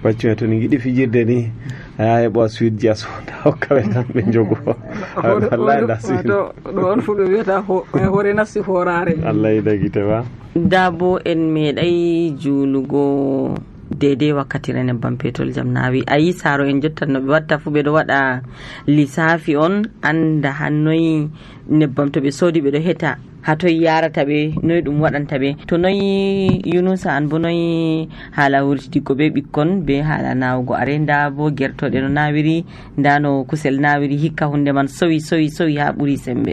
bacci me to ni giɗi fijirde ni a yaha heɓa suite ji a soda hokkaɓe tan ɓe jogo wallahi da ɗo on fu ɓe wiyata hoore nasti horare Allah yidagite ba dabo en meeɗay juulugo dede wakkatire nebbam petrol jam naawi ayi saaro en jottan no ɓe watta fu ɓe ɗo waɗa lissafi on anda hannoyi nebbam to ɓe soodi ɓe ɗo heta hatoy yarata ɓe noyi ɗum waɗanta ɓe to noyi Yunusa an bo noyi haala wurtigo ɓe ɓikkon be haala nawugo are nda bo gertoɗe no nawiri nda no kusel nawiri hikka hunde man sowi ha ɓuuri sembe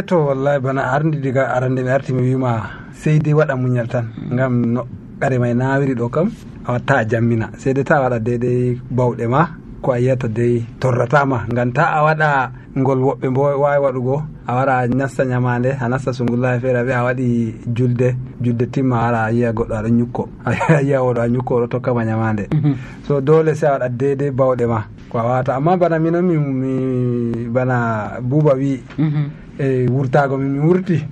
to wallahi bana ardi diga arande mi arti mi wima seydi waɗa muñal tan ngam no ɓare may nawiri ɗo kam a watta a jammina seyde ta waɗa deydey bawɗe ma ko a yiyata dey torratama ngam ta a waɗa ngol woɓɓe bo wawi waɗugo a wara a nasta ñamande a nasta sungullahi feere ɓe a waɗi julde timma wara a yiya goɗɗo aɗa ñukko a yiya oɗo a ñukko oɗo tokkama ñamande so dole se a waɗa deydey bawɗe ma ko a wawata amma bana minon mi bana buuba wi e wurtago mi wurti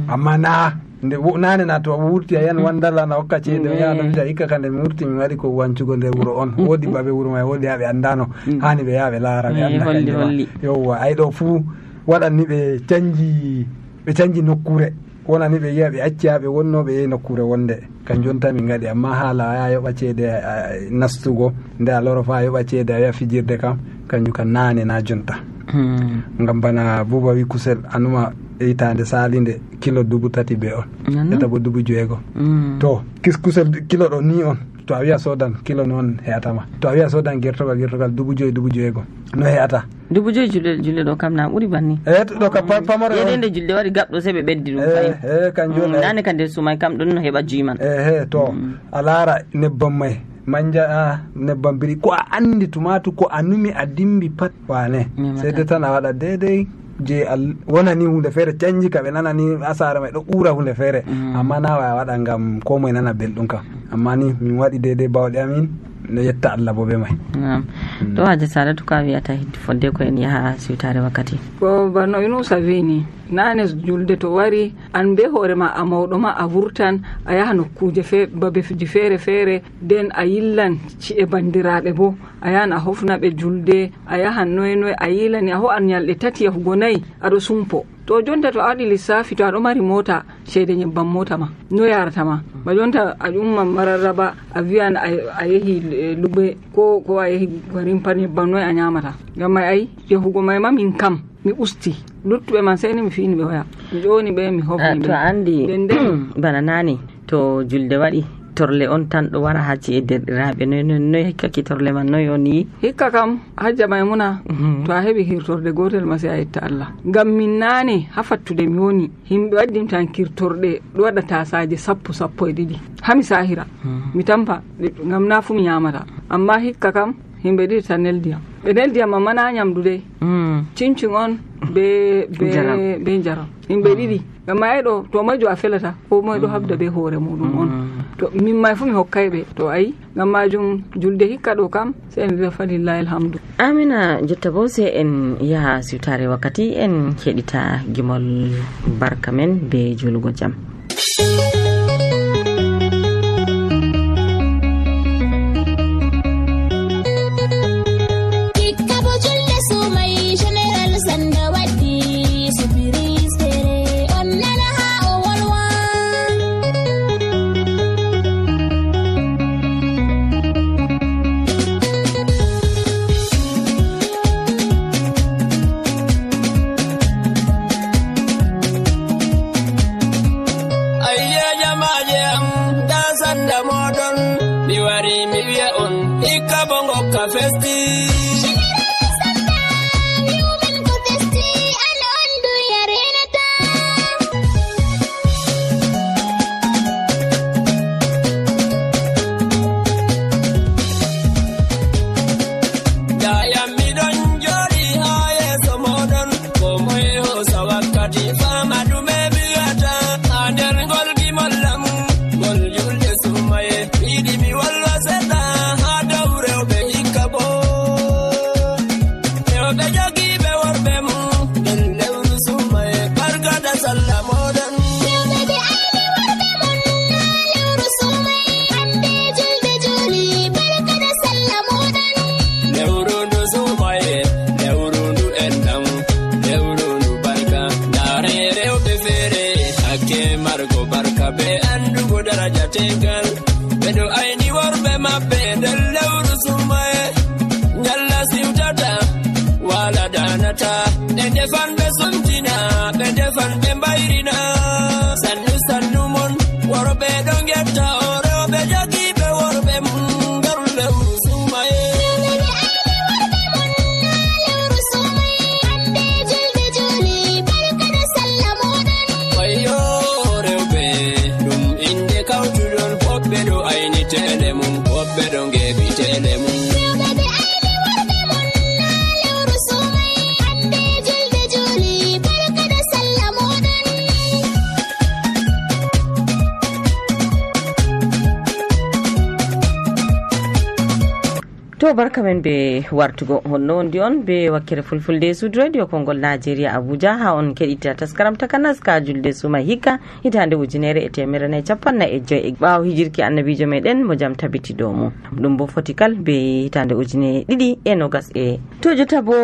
amma na nde nane na to wurti a yan wandala na hokka ceede o yaha ɗo hikka kande mi wurti mi waɗi ko wancugo nder wuro on woodi baɓe wuro may woodi ha ɓe andano hani ɓe yaha ɓe laara ɓe anda kanjuma yowwa ay ɗo fuu waɗanni ɓe canji nokkure wonani ɓe yiya ɓe acci ha ɓe wonno ɓe yehi nokkure wonde kanjum tan min gaɗi amma haala a yaha yoɓa ceede nastugo nde a loro fa yoɓa ceede a wiya fijirde kam kanjum kam nane na jonta ngam bana buuba wi kusel anuma hitande salinde kilo 3,000 be on eta bo 6,000 to kusel kilo ɗo ni on to a wiya sodan kilo noon heatama to a wiya sodan gertogal 5,000 no heata 5,000 julde ɗo kam na ɓuuri banni ɗo ka pamaro yedende julde waɗi gaɓɗo se ɓe ɓeddi ɗum fayin kanjum nane ka nder sumay kam ɗon no heɓa juiman to a laara nebbam may manja nebbam biri ko a andi tumatu ko a numi a dimbi pat wane seyde tan a waɗa deydey je wonani hunde feere canji ka ɓe nanani asara may ɗo ɓuura hunde feere amma na wa waɗa ngam ko moye nana belɗum kam amma ni min waɗi deydey bawɗe amin no yetta Allah bo be may to haji Saratu ka wiyata hidde fodde ko en yaha siwtare wakkati ko banno Yunusa wini nane julde to wari an be hoore ma a mawɗo ma a vurtan a yaha nokkuje babeji feere den a yillan ci'e bandiraɓe bo a yahan a hofna ɓe julde a yahan noye a yilani a ho an ñalɗe 3 yahugo 4 aɗo sumpo to jonta to a waɗi lissafi to aɗo mari mota ceede ñebbam mota ma no yarata ma ba jonta a ƴumma mararraba a wiyan a yehi luɓe ko a yehi garin pat ñebbam noye a ñamata ngam may ayi yahugo may ma min kam mi usti luttuɓe man seyni mi fini ɓe hoya mi ƴoni ɓe mi hofni ɓe to andi bana nani to julde waɗi torle on tan ɗo wara ha ci'e derɗiraɓe noy hikkaki torle man noy on yi hikka kam hajja maymuna to a heɓi hirtorde gotel ma sey a yetta Allah ngam min nane ha fattude mi woni himɓe waddimtan kirtorɗe ɗo waɗa tasaje 10-12 hami sahira mi tampa ngam na fu mi ñamata amma hikka kam himɓe ɗiɗi tan neldiyam ɓe neldiyam amma na nyamdu de cincin on be jaram himɓe ɗiɗi ngam ayi ɗo to moyjo a felata ko moy ɗo habda be hoore muɗum on to min may fu mi hokkayɓe to ayi ngam majum julde hikka ɗo kam sai en wiya falillahi alhamdu. Amina jotta bo se en yaha siwtare wakkati en keɗita gimol barka men be julugo jam. to barka men be wartugo honno wondi on be wakkere fulfulde sud radio kongol Nigeria Abuja ha on kedita taskaram takanas ka julde suma hikka hitande ujunere e temere ne capanna e joy bawo hijirki annabijo meden mo jam tabiti domo dum bo fotikal be hitande ujune didi e nogas e to jota bo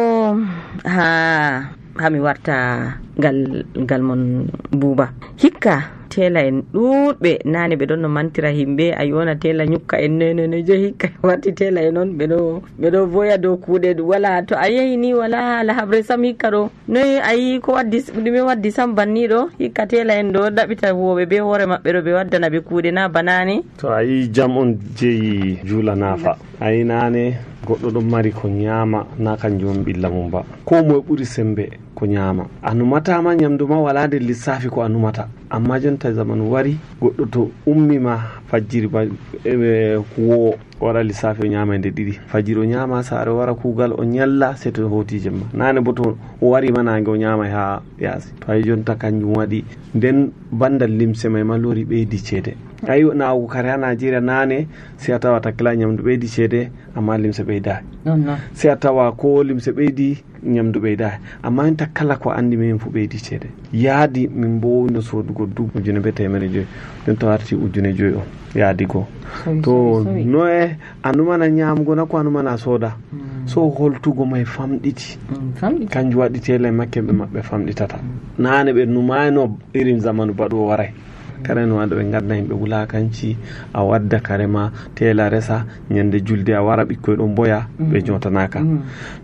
ha mi warta gal mon buba hikka tela en ɗuɗɓe nane ɓe ɗon no mantira himɓe a yona tela ñukka en nene je hikka watti tela en on ɓeɗo voya dow kuuɗe wala to a yehi ni wala ala habre sam hikka ɗo noyi ayi ko waddi ɗume waddi sam banni ɗo hikka tela en ɗo ɗaɓita huwoɓe be hoore maɓɓe ɗo ɓe waddana ɓe kuuɗe na banani to ayi jam on jeeyi juula naafa ayi nane goɗɗo ɗon mari ko ñaama na kanjum on ɓilla mum ba ko moye ɓuri sembe ko ñaama a numatama ñamdu ma wala nder lissafi ko a numata amma jonta zamanu wari goɗɗo to ummima fajjiri ba kuwo wara lissafi o ñama nde ɗiɗi fajjiri o ñama saare wara kuugal o ñalla se to hoti jemma nane bo to o wari ma nange o ñama ha yaasi to ayi jonta kanjum waɗi nden bandal limse may ma lori ɓeydi ceede ayi nawugo kare ha Nigeria nane se a tawa takkila ñamdu ɓeydi ceede amma limse ɓeyda se a tawa ko limse ɓeydi ñamdu ɓeyda amma en kala ko andi min fu ɓeydi ceede yaadi min bo no sodugo dubu ujune be temere joyi nden to arti ujune joyi on yaadi go to noe a numana ñamugo na ko a numana sooda so holtugo may famɗiti kanjum waɗi tele makke ɓe maɓɓe famɗitata nane ɓe numayno irin zamanu baɗo waray kare no waɗa ɓe gadda yimɓe wulakanci a wadda kare ma tela resa ñande julde a wara ɓikkoy ɗon boya ɓe jotanaka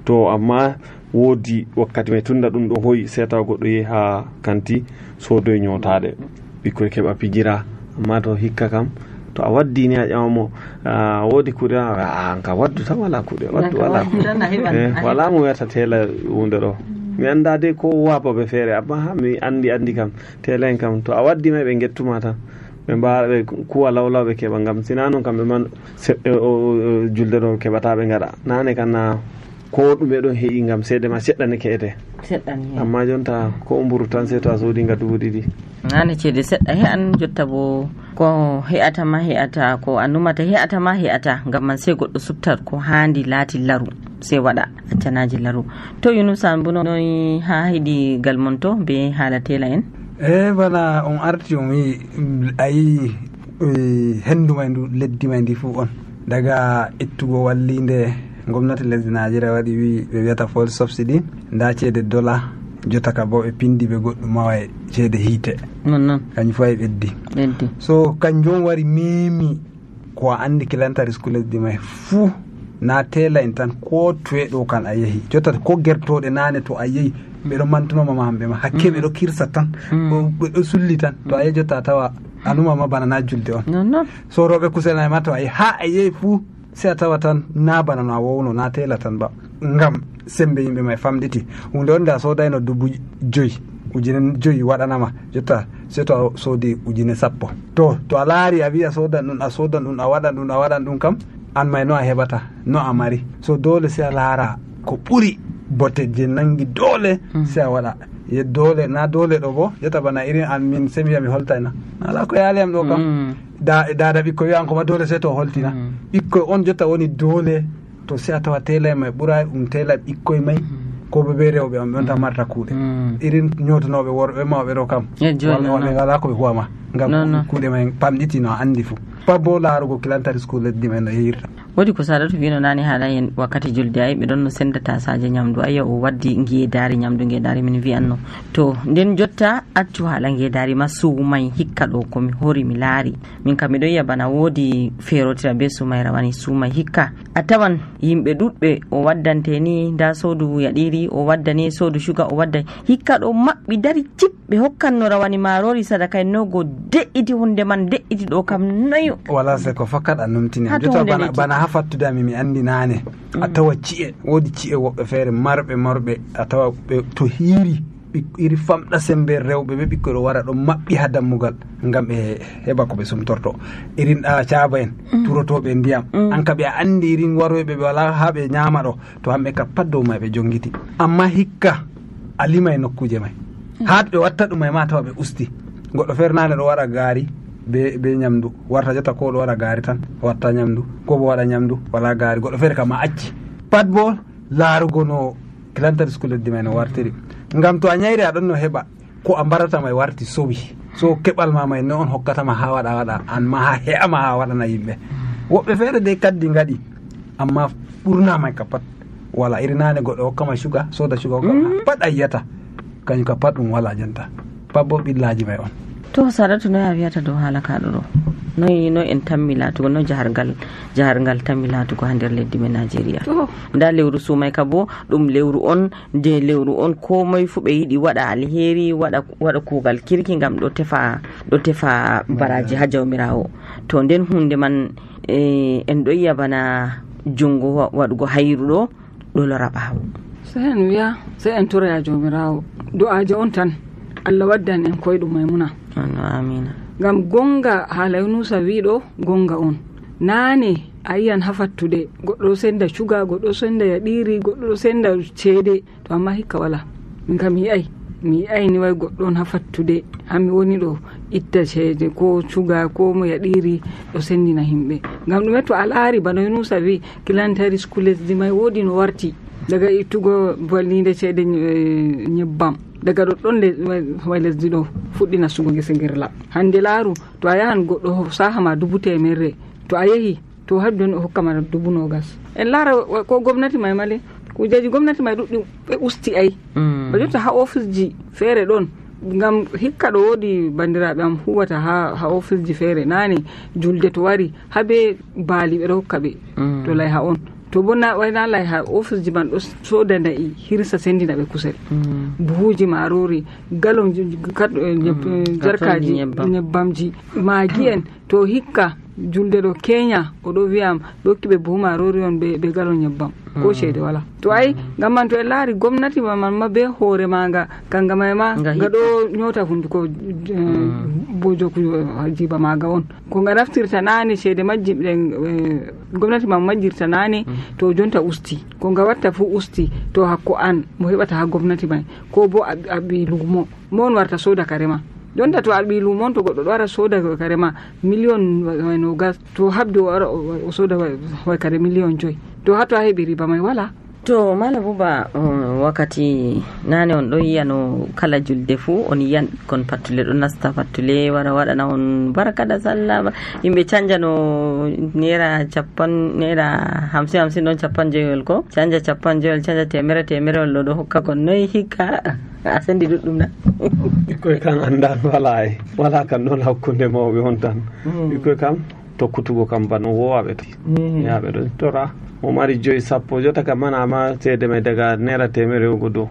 to amma woodi wakkati mai tunda ɗum ɗo hoyi se tawa goɗɗo yehi ha kanti sodoye ñotaɗe ɓikkoy keɓa pijira amma to hikka kam to a waddini a ƴamamo woodi kuuɗe ka waddu tan wala kuuɗe waddu wala wala mo wiyata tela hunde ɗo mi anda de ko wabaɓe feere amma ha mi andi kam tela en kam to a waddi may ɓe gettuma tan ɓe mbara ɓe kuwa lawlaw ɓe keɓa ngam sina noon kamɓe man julde ɗo keɓata ɓe gaɗa nane kana ko ɗume ɗon heeƴi ngam seede ma seɗɗane ke'ete amma jonta ko mburu tan se to a soodinga 2,000 nane ceede seɗɗa he'an jotta bo ko he'atama he'ata ko a numata he'atama he'ata ngam man sey goɗɗo subtat ko handi laati laru sey waɗa accanaji laru. To Yunusa mbo noy ha heeɗi gal mon to be haala tela en? bana on arti on wi ayi hendu may ndu leddi may ndi fuu on daga ittugo wallinde gomnati lesdi Nigeria waɗi wi ɓe wiyata fuel subsidy nda ceede dollar jotta ka bo ɓe pindi ɓe goɗɗum mawa e ceede hiite non kañum fo e ɓeddi so kanjum wari memi ko a andi kilantari sku lesdi may fuu na tela en tan ko toye ɗo kan a yeehi jotta ko gertoɗe nane to a yeehi ɓeɗo mantunoma hamɓe ma hakke ɓeɗo kirsa tan ɓeɗo sulli tan to a yeehi jotta a tawa anumama bana na julde on so roɓe kuselnay ma to a yeehi ha a yeehi fuu se a tawa tan na bana no a wowno na tela tan ba ngam sembe yimɓe may famɗiti hunde on nde a sodayno 5,000 waɗanama jotta se to a soodi 10,000 to a laari a wi a sodan ɗum a waɗan ɗum kam an may no a heɓata no a mari so dole se a laara ko ɓuri bote je nangi dole se a waɗa dole na dole ɗo bo jotta bana irin an min se mi wiya mi holtayna ala ko yaaliyam ɗo kam dada ɓikkoy wiyan koma dole se to holtina ɓikkoy on jotta woni dole to se a tawa tela may ɓuray tela ɓikkoy may ko ɓe rewɓe on ɓe on tan marta kuuɗe irin ñootanoɓe worɓe mawɓe ɗo kam wonɓe ngala ko ɓe huwama ngam kuuɗe may pamɗitino a andi fuu pat bo laarugo kilantari school leddi men no yeyirta wodi ko Sadatu wino nane haala hen wakkati julde ay ɓe ɗon no senda tasaje ñamdu ayya o waddi ngeedari ñamdu ngeedari min wiyanno to nden jotta accu haala ngeedari ma suumay hikka ɗo komi hori mi laari min kam miɗo yiya bana woodi feerotira be suumay rawani suumay hikka a tawan yimɓe ɗuɗɓe o waddante ni nda soodu yaɗiri o waddani soodu shuga o wadda hikka ɗo maɓɓi dari cip ɓe hokkanno rawani marori sadaka en nogo de'iti hunde man de'iti ɗo kam noyo wala se ko fakkat a numtini jota bana ha fattudami mi andi nane a tawa ci'e woodi ci'e woɓɓe feere marɓe a tawa ɓe to hiiri iri famɗa sembe rewɓe ɓe ɓikkoy ɗo wara ɗo maɓɓi ha dammugal ngam ɓe heɓa ko ɓe sumtorto irin caaba en turotoɓe ndiyam an ka ɓe a andi irin waroɓe ɓe wala ha ɓe ñaama ɗo to hamɓe ka pat dow may ɓe jongiti amma hikka a limay nokkuje may ha ɓe watta ɗum may ma tawa ɓe usti goɗɗo feere nane ɗo waɗa gaari be ñamdu warta jotta ko ɗo waɗa gaari tan watta ñamdu ko bo waɗa ñamdu wala gaari goɗɗo feere kam a acci pat bo laarugo no kilantari school leddi may no wartiri ngam to a ñayri aɗon no heɓa ko a mbarata may warti sowi so keɓal ma may no on hokkatama ha waɗa an ma ha he'ama ha waɗana yimɓe woɓɓe feere de kaddi ngaɗi amma ɓurna may ka pat wala iri nane goɗɗo hokkama suga soda suga hokkama pat a yiyata kañum ka pat ɗum wala janta pat bo ɓillaji may on to Sadatu no a wiyata dow haala kaɗo ɗo no en tammi laatugo no jahargal tammi laatugo ha nder leddi men Nigeria nda lewru suumay ka bo ɗum lewru on nde lewru on komoye fu ɓe yiɗi waɗa alheri waɗa kuugal kirki ngam ɗo tefa baraji ha jawmirawo to nden hunde man en ɗo yiya bana jungo waɗugo hayru ɗo lora ɓaawo se en wiya se en tura jawmirawo du'aje on tan Allah waddan en koyɗum Maymuna amina ngam gonga haala Yunusa wiɗo gonga on nane a yiyan ha fattude goɗɗo senda cuga goɗɗo senda yaɗiri goɗɗo senda ceede to amma hikka wala min kam mi yi'ay ni way goɗɗo on ha fattude hami woni ɗo itta ceede ko cuga ko mo yaɗiri ɗo sendina himɓe ngam ɗume to a laari bana Yunusa wi kilantari school lesdi may woodi no warti daga ittugo wallide ceede nyebbam daga ɗoɗɗon way lesdi ɗo fuɗɗi nastugo gese girla hande laaru to a yahan goɗɗo sahama 1,000 to a yehi to har joni o hokkama 20,000 en laara ko gomnati may male kujeji gomnati may ɗuɗɗi ɓe usti ay ba jotta ha office ji feere ɗon ngam hikka ɗo woodi bandiraɓe am huwata ha office ji feere nane julde to wari habe baali ɓe ɗo hokka ɓe to lay ha on to bo wayna lay ha office ji man ɗo soda na'i hirsa sendina ɓe kusel buhuji marori galon jarkaji nyebbamji magi en to hikka julde ɗo Kenya oɗo wiyam ɓe hokki ɓe buhu marori on ɓe galon nyebbam ko ceede wala to ay ngam man to en laari gomnati man ma be hoore maga kanga may ma nga ɗo nyota hunduko bojo ku jiba maga on ko nga naftirta nane ceede majjimɗen gomnati man majjirta nane to jonta usti ko nga watta fu usti to hakko an mo heɓata ha gomnati may ko bo a ɓi lumo mon warta soda kare ma jonta to alɓi lumon to goɗɗo ɗo wara soda kare ma million nogas to habde o soda way kare million 5 to hatto a heɓi riba may wala. To Mala Buba wakkati nane on ɗo yiya no kala julde fuu on yiyan kon pattule ɗo nasta pattule wara waɗana on barka da sallah yimɓe canja no naira 50 ɗon 50 ko canja 50 canja temere ɗo hokka kon noyi hikka a sendi ɗuɗɗum na ɓikkoy kan andan wala kan noon hakkunde mawɓe on tan ɓikkoy kam tokkutugo kam bano wowaɓe to yaɓe ɗo tora mo mari 5-10 jota kam manama ceede may daga naira 100 dow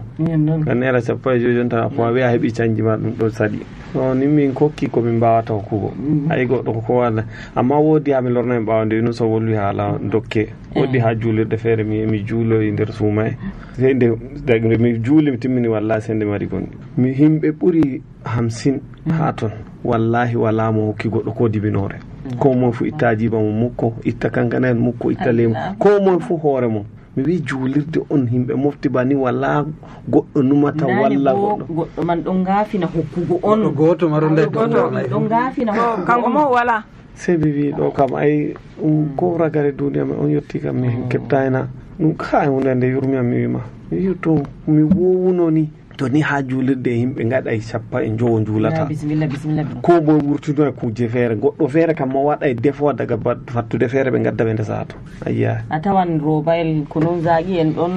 ka naira 15 jonta ko a wiya heɓi canji ma ɗum ɗo saɗi o ni min kokki komin mbawata hokkugo ay goɗɗo ko walla amma woodi ha mi lorna en ɓawde no so wolwi haala dokke woodi ha juulirde feere mi juuloyi nder suuma sende mi juuli mi timmini wallahi sende mari gonɗi mi himɓe ɓuri 50 ha ton wallahi wala mo hokki goɗɗo ko dibinore ko moye fu itta jiba mo mukko itta kankana en mukko itta lemu ko moye fu hoore mum mi wi juulirde on himɓe mofti bani wala goɗɗo numata walla goɗɗo man ɗon gaafina hokkugo on goto maro nder ɗon gaafina kanko mo wala sei mi wi ɗo kam ay ko ragare duniya ma on yetti kam mi keɓtayna ɗum ka hunde nde yurmiyam mi wima mi wi to mi wowuno ni to ni ha juulirde yimɓe gaɗay 50 juulata ko boye wurtino e kuje feere goɗɗo feere kam mo waɗa e defo daga fattude feere ɓe gadda ɓe ndesa to ayya a tawan robayel kunun zagi en ɗon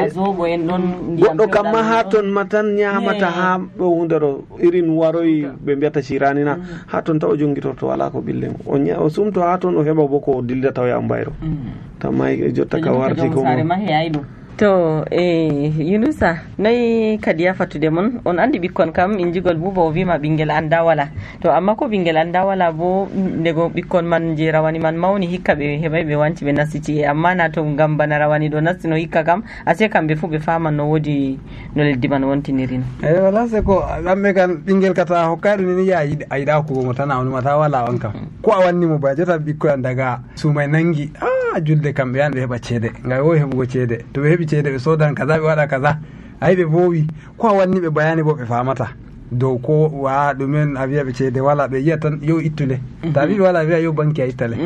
zobo en ɗon goɗɗo kam ma ha ton ma tan ñamata ha ɗo hunde ɗo irin waroyi ɓe mbiyata cirani na ha ton taw o jongitorto wala ko ɓille o sumto ha ton o heɓa bo ko dillata o yaha mbayro tammay jotta ka warti ko to Yunusa noyi kadi ya fattude mon on andi ɓikkon kam injigol Buba o wima ɓinguel anda wala to amma ko ɓinguel anda wala bo ndego ɓikkon man je rawani man mawni hikka ɓe heɓay ɓe wanci ɓe nasti amma na to ngam bana rawani ɗo nasti no hikka kam ase kamɓe fu ɓe faman no wodi no leddi man wontiniri no wala se ko ɓamɓe kan ɓinguel kata hokkay ɗum ni ya a yiɗa hokkugo mo tan a onumata wala on kam ko a wanni mo ba jota ɓikkoy an daga suumay nangi julde kamɓe yan ɓe heɓa ceede ngam wowi heɓugo ceede to ɓe heɓi ceede ɓe sodan kaza ɓe waɗa kaza ayi ɓe vowi ko a wanni ɓe bayani bo ɓe famata dow ko wa ɗumen a wiya ɓe ceede wala ɓe yiya tan yo ittude ta wi wala wiya yo banque a ittale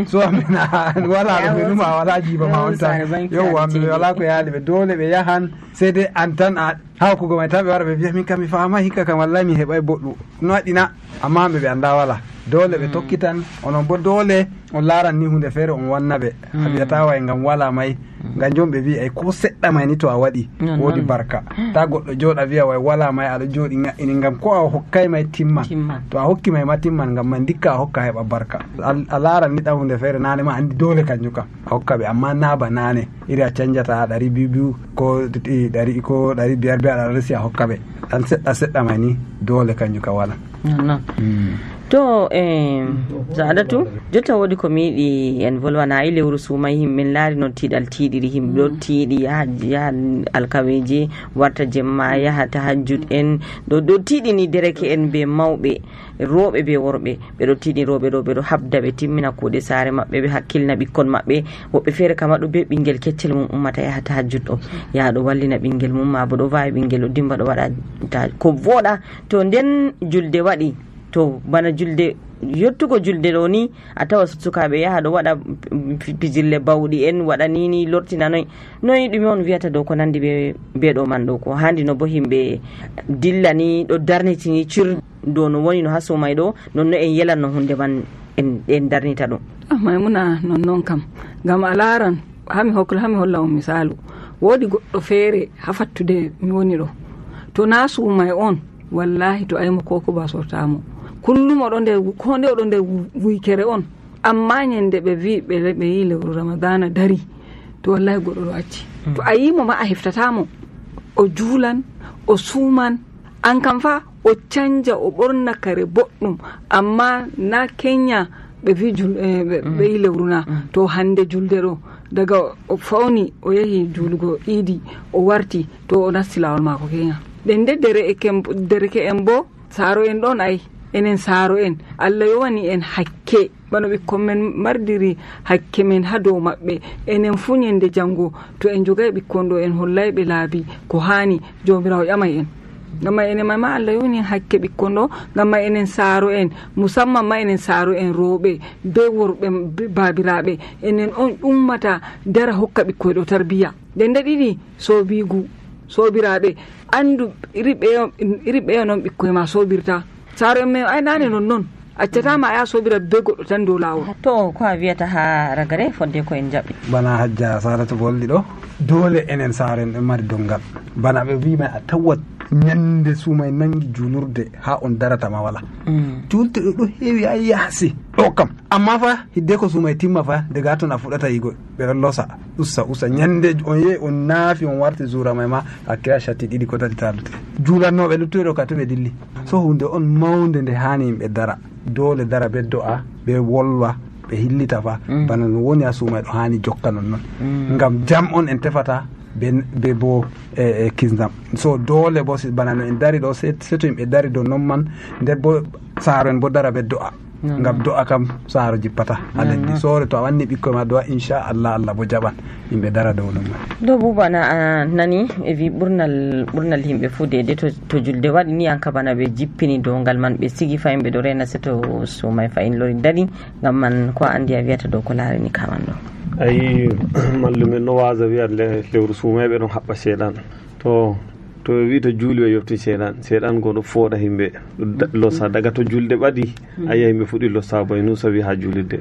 so amena wala ɓe numa wala jiba ma on tan yo amɓe wala ko yaali ɓe dole ɓe yahan seede an tan a hawkugo may tan ɓe wara ɓe wiya min kam mi fama hikka kam wallahi mi heɓay boɗɗum no waɗina amma hamɓe ɓe anda wala dole ɓe tokkitan onon bo dole on laaran ni hunde feere on wanna ɓe a wiyata way ngam wala may ngam jom ɓe wi ay ko seɗɗa may ni to a waɗi woodi barka ta goɗɗo jooɗa wiya way wala may aɗa jooɗi ŋa'ini ngam ko a hokkay may timman to a hokki may ma timman ngam man dikka a hokka heɓa barka a laaran ni ɗan hunde feere nane ma andi dole kanjum kam a hokka ɓe amma naaba nane iri a canjata 200 ko 100 ko 500 aɗa resi a hokka ɓe ɗan seɗɗa may ni dole kanjum kam wala to Saadatu jotta wodi ko mi yiɗi en volwana ay lewru suumay himɓe laari no tiiɗal tiiɗiri himɓe ɗo tiiɗi yaha alkaweji warta jemma yaha tahajjud en ɗo tiiɗini dereke en be mawɓe rooɓe be worɓe ɓeɗo tiiɗi rooɓe ɗo ɓeɗo habda ɓe timmina kuuɗe saare maɓɓe ɓe hakkilna ɓikkon maɓɓe woɓɓe feere kama ɗo be ɓinguel keccel mum ummata yaha tahajjud ɗo yaha ɗo wallina ɓinguel mum ma bo ɗo wawi ɓinguel ɗo dimba ɗo waɗa ko voɗa to nden julde waɗi to bana julde yettugo julde ɗo ni a tawa sukaɓe yaha ɗo waɗa pijirle bawɗi en waɗa nini lortina noyi ɗume on wiyata dow ko nandi be ɗo man ɗo ko handi no bo himɓe dilla ni ɗo darnitini cir dow no woni no ha sumay ɗo nonno en yelan no hunde man en darnita ɗum maymuna nonnon kam ngam a laran hami holla on misalu woodi goɗɗo feere ha fattude mi woni ɗo to na sumay on wallahi to aymo koko ba sortamo kullum oɗo nder ko nde oɗo nder wuykere on amma ñande ɓe wi ɓe yi lewru ramadana dari to wallahi goɗɗo ɗo acci to a yimo ma a heftatamo o juulan o suuman an kam fa o canja o ɓorna kare boɗɗum amma na Kenya ɓe wi ɓe yi lewru na to hande julde ɗo daga o fawni o yahi julugo idi o warti to o nasti lawol mako keña nden nde dereke en bo saaro en ɗon ay enen saaro en Allah yowani en hakke bano ɓikkon men mardiri hakke men ha dow maɓɓe enen fu nyende jango to en jogai ɓikkon ɗo en hollay ɓe laabi ko hani jomirawo ƴamay en ngam enen ma Allah yowani en hakke ɓikkon ɗo ngam enen saaro en musamman ma enen saaro en rooɓe be worɓe babiraɓe enen on ummata dara hokka ɓikkoy ɗo tarbiya nden nde ɗiɗi sobigu sobiraɓe andu iri ɓeyo noon ɓikkoy ma sobirta saaro en men ay nane non accatama aya sobira be goɗɗo tan dow lawol. To ko a wiyata ha ragare fodde ko en jaɓi bana Hajja Saratu bolli ɗo dole enen saaro en ɓe mari dongal bana ɓe wima a tawat ñande sumay nangi julurde ha on daratama wala julde ɗo heewi a yaasi ɗo kam amma fa hidde ko sumay timma fa daga ton a fuɗata yigo ɓeɗon losa ussa ñande on yehi on naafi on warti zura may ma hakkila chatti ɗiɗi ko tati tardete julannoɓe luttuɗo ka to ɓe dilli so hunde on mawde nde hani yimɓe dara dole dara ɓe do'a ɓe wolwa ɓe hillita fa bana no woni a sumay ɗo hani jokka non noon ngam jam on en tefata be bo kisdam so dole bo bana no en dari ɗo seto yimɓe dari do non man nder bo saaro en bo dara ɓe do'a ngam do'a kam saaro jippata ha leddi sore to a wanni ɓikkoy ma do'a inchallah Allah bo jaɓan yimɓe dara dow non man do bubana nani e wi ɓurnal yimɓe fu dede to julde waɗi ni anka bana ɓe jippini dongal man ɓe sigi fa yimɓe ɗo rena seto sumay fa in lori dari ngam man ko andi a wiyata dow ko laarani kaman ɗo ayi mallumen no wasa wiya lewru sumayɓe ɗon haɓɓa seeɗan to wi to juuli o yofti seeɗan goɗo fooɗa yimɓe losa daga to julde ɓaɗi a yiya yimɓe fuɗɗi losa boye nu sawi ha julirde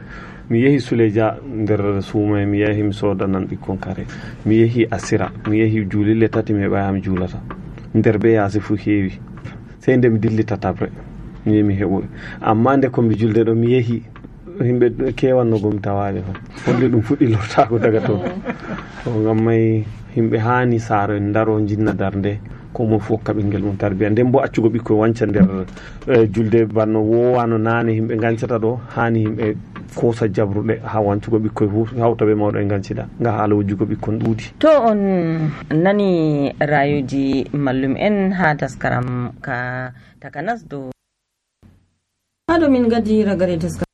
mi yeehi Suleja nder suumay mi yeehi mi sodanan ɓikkon kare mi yeehi Asira mi yeehi juulille tati mi heɓayami juulata nder be yaasi fu heewi sey nde mi dillita tabre mi yehi mi heɓoy amma nde komi julde ɗo mi yeehi yimɓe kewannogo mi tawaɓe fa holli ɗum fuɗɗi lortago daga toon to ngam may yimɓe hani saaro en daro jinna darde ko mo fof ka ɓinguel mum tarbiya nden bo accugo ɓikkoy wanca nder julde banno wowano nane yimɓe gancata ɗo hani yimɓe kosa jabruɗe ha wancugo ɓikkoy fof hawta ɓe mawɗo e gancida nga haala wujjugo ɓikkon ɗuuɗi to on nani rayuji mallum en ha taskaram ka takanas dow haɗo min gadi ragare taskaram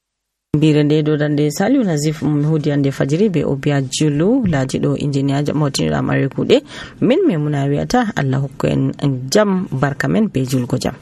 mbire nde dodande Saliu Nazif hudi ande fajiri be Obia Julu laaji ɗo injiniya mawtiniɗo amare kuuɗe min memuna wiyata Allah hokku en jam barka men be julgo jam.